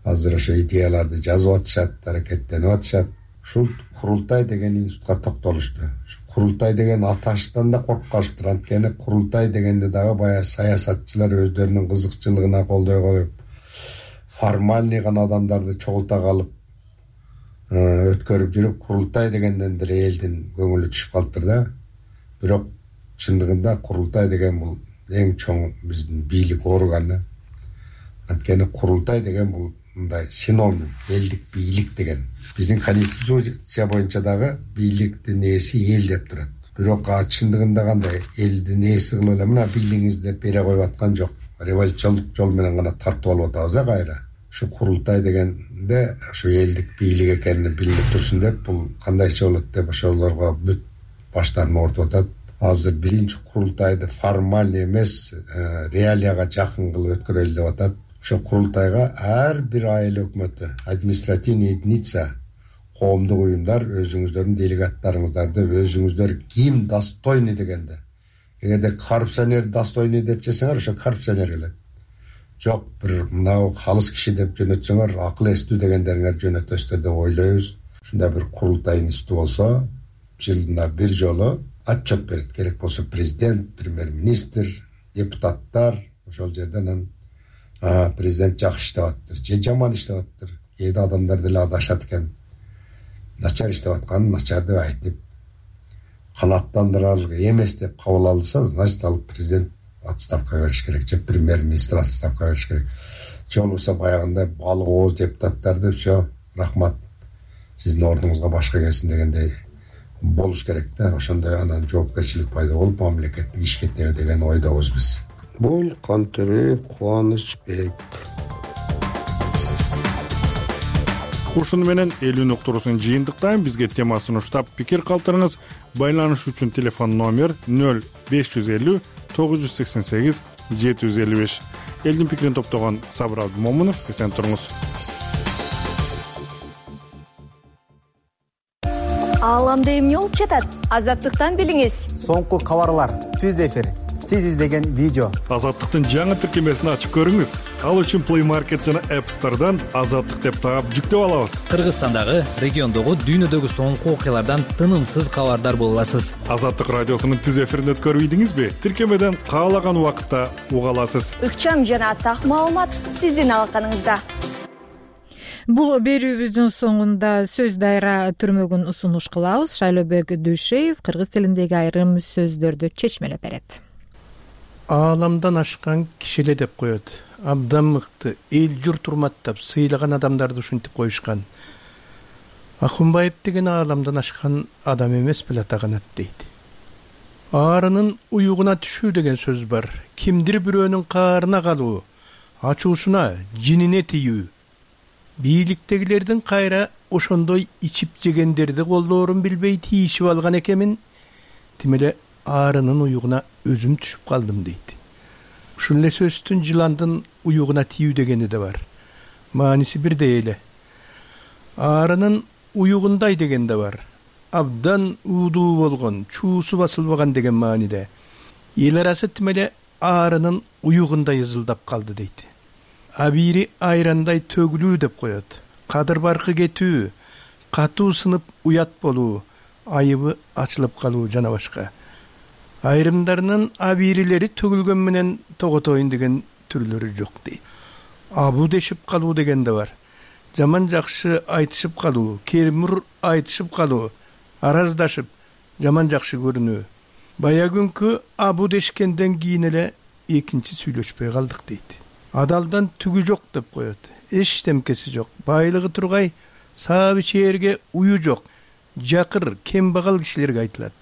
S11: азыр ошо идеяларды жазып атышат, аракеттенип атышат. Ушул курултай деген институтка токтолушту. Курултай деген аташтан да коркканышыптыр. Анткени курултай дегенде дагы баягы саясатчылар өздөрүнүн кызыкчылыгына колдой коюп, формальный гана адамдарды чогулта калып өткөрүп жүрүп, курултай дегенден деле элдин көңүлү түшүп калыптыр да. Бирок чындыгында курултай деген бул эң чоң биздин бийлик органы. Анткени курултай деген бул мындай синоним, элдик бийлик деген. Биздин конституция боюнча дагы бийликтин ээси эл деп турат. Бирок чындыгында кандай элдин ээси кылып эле мына бийлигиңизди деп бере коюп аткан жок. Революциондук жол менен гана тартып алып атабыз а кайра. Ушу курултай дегенде ушу элдик бийлик экени билинип турсун деп бул кандайча болот деп ошолорго бүт баштарын ортуп атат. Азыр биринчи курултайды формаль эмес, реалияга жакын кылып өткөрөлү деп атат. Ошо курултайга ар бир айыл өкмөтү, административный единица, коомдук уюмдар өзүңүздөрдүн делегаттарыңыздарды өзүңүздөр ким достойный дегенде. Эгерде коррупционер достойный деп чесеңер, ошо коррупционер келет. Жок, бир мынау калыс киши деп жөнөтсөңөр, акыл эстүү дегендериңер жөнөтөсүздөр деп ойлойбуз. Ушундай бир курултай институту болсо, жылына бир жолу отчет берет. Керек болсо президент, премьер-министр, депутаттар ошол жерден президент жакшы иштеп атыптыр, же жаман иштеп атыптыр. Кээде адамдар деле адашат экен. Начар иштеп атканын начар деп айтып, канааттандырарлык эмес деп кабыл алса, значит ал президент отставка бериш керек, же премьер-министр отставка бериш керек. Же болбосо баягындай балык ооз депутаттарды все, рахмат, сиздин ордуңузга башка келсин дегендей болуш керек да. Ошондой анан жоопкерчилик пайда болуп, мамлекеттик ишке кетеби деген ойдобуз биз. Бул Кантөрү Кубанычбек.
S7: Ушуну менен элүү уктуруусун жыйынтыктайм. Бизге тема сунуштап пикир калтырыңыз. Байланыш үчүн телефон номер нөл беш жүз элүү тогуз жүз сексен сегиз жети жүз элүү беш. Элдин пикирин топтогон Сабыр Абдымомунов, эсен туруңуз.
S9: Ааламда эмне болуп жатат? Азаттыктан билиңиз.
S12: Соңку кабарлар, түз эфир, сиз издеген видео.
S7: Азаттыктын жаңы тиркемесин ачып көрүңүз. Ал үчүн Play Market жана App Store'дан Азаттык деп таап жүктөп алабыз.
S5: Кыргызстандагы, региондогу, дүйнөдөгү соңку окуялардан тынымсыз кабардар боло аласыз.
S7: Азаттык радиосунун түз эфирин өткөрүп ийдиңизби? Тиркемеден каалаган убакытта уга аласыз.
S9: Ыкчам жана так маалымат сиздин алаканыңызда.
S1: Бул берүүбүздүн соңунда сөз дайра түрмөгүн сунуш кылабыз. Шайлообек Дүйшеев кыргыз тилиндеги айрым сөздөрдү чечмелеп берет.
S23: Ааламдан ашкан кишиле деп коет. Абдан мыкты, эл журт урматтап, сыйлаган адамдарды ушинтип коюшкан. Акунбаев деген ааламдан ашкан адам эмес беле атаганат дейт. Аарынын уюгуна түшүү деген сөз бар. Кимдир бирөөнүн каарына калуу, ачуусуна, жинине тийүү. Бийликтегилердин кайра ошондой ичип жегендерди колдоорун билбей тийишип алган экенмин. Тимеле аарынын уюгуна өзүм түшүп калдым дейт. Ушул эле сөздүн жыландын уюгуна тийүү дегени да бар. Мааниси бирдей эле. Аарынын уюгундай деген да бар. Абдан уудуу болгон, чуусу басылбаган деген мааниде. Эл арасы тимеле аарынын уюгундай ызылдап калды дейт. Абири айрандай төгүлүү деп коет. Кадыр баркы кетүү, катуу сынып уят болуу, айыбы ачылып калуу жана башка. Айрымдарынын абирилери төгүлгөн менен тоготоюн деген түрлөрү жок дейт. Абу дешип калуу деген да бар. Жаман жакшы айтышып калуу, кермур айтышып калуу, араздашып, жаман жакшы көрүнүү. Бая күнкү абу дешкенден кийин эле экинчи сүйлөшпөй калдык дейт. Адалдан түгү жок деп коет. Эчтемкеси жок. Байлыгы тургай, саап ичээрге ую жок. Жакыр, кембагал кишилерге айтылат.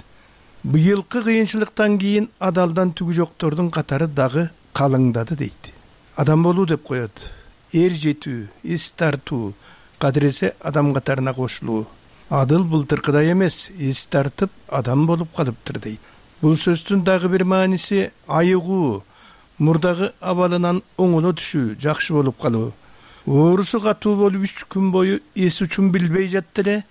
S23: Быйылкы кыйынчылыктан кийин адалдан түгү жоктордун катары дагы калыңдады дейт. Адам болуу деп коет. Эр жетүү, эс тартуу, кадыресе адам катарына кошулуу. Адыл былтыркыдай эмес, эс тартып адам болуп калыптыр дейт. Бул сөздүн дагы бир мааниси айыгуу, мурдагы абалынан оңоло түшүү, жакшы болуп калуу. Оорусу катуу болуп үч күн бою эс учун билбей жатты эле,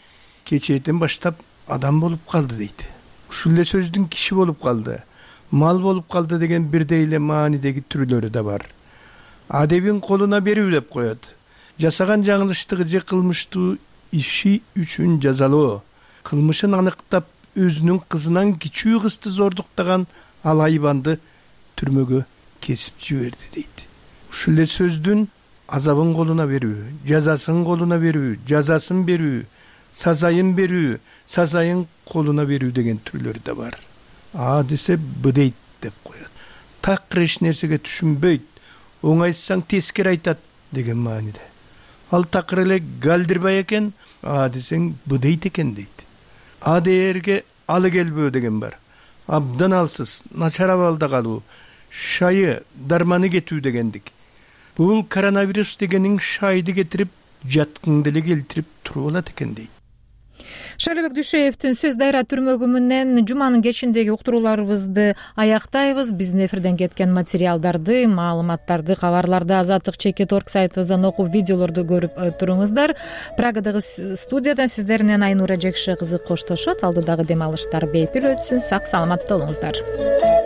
S23: кечээден баштап адам болуп калды дейт. Ушул эле сөздүн киши болуп калды, мал болуп калды деген бирдей эле маанидеги түрлөрү да бар. Адебин колуна берүү деп коет. Жасаган жаңылыштыгы же кылмыштуу иши үчүн жазалоо. Кылмышын аныктап, өзүнүн кызынан кичүү кызды зордуктаган ал айбанды түрмөгө кесип жиберди дейт. Ушул эле сөздүн азабын колуна берүү, жазасын колуна берүү, жазасын берүү, сазайын берүү, сазайын колуна берүү деген түрлөрү да бар. а десе б дейт деп коет. такыр эч нерсеге түшүнбөйт, оңайтсаң тескери айтат деген мааниде. Ал такыр эле галдирбай экен, а десең б дейт экен дейт. А дээрге алы келбөө деген бар. Абдан алсыз, начар абалда калуу, шайы, дарманы кетүү дегендик. Бул коронавирус дегенин шайды кетирип, жаткыңды эле келтирип туруп алат экен дейт.
S1: Шайлообек Дүйшеевдин сөз дайра түрмөгү менен жуманын кечиндеги уктурууларыбызды аяктайбыз. Биздин эфирден кеткен материалдарды, маалыматтарды, кабарларды азаттык чекит точка орг сайтыбыздан окуп, видеолорду көрүп туруңуздар. Прагадагы студиядан сиздер менен Айнура Жекше кызы коштошот. Алдыдагы дем алыштар бейпил өтсүн. Сак саламатта болуңуздар.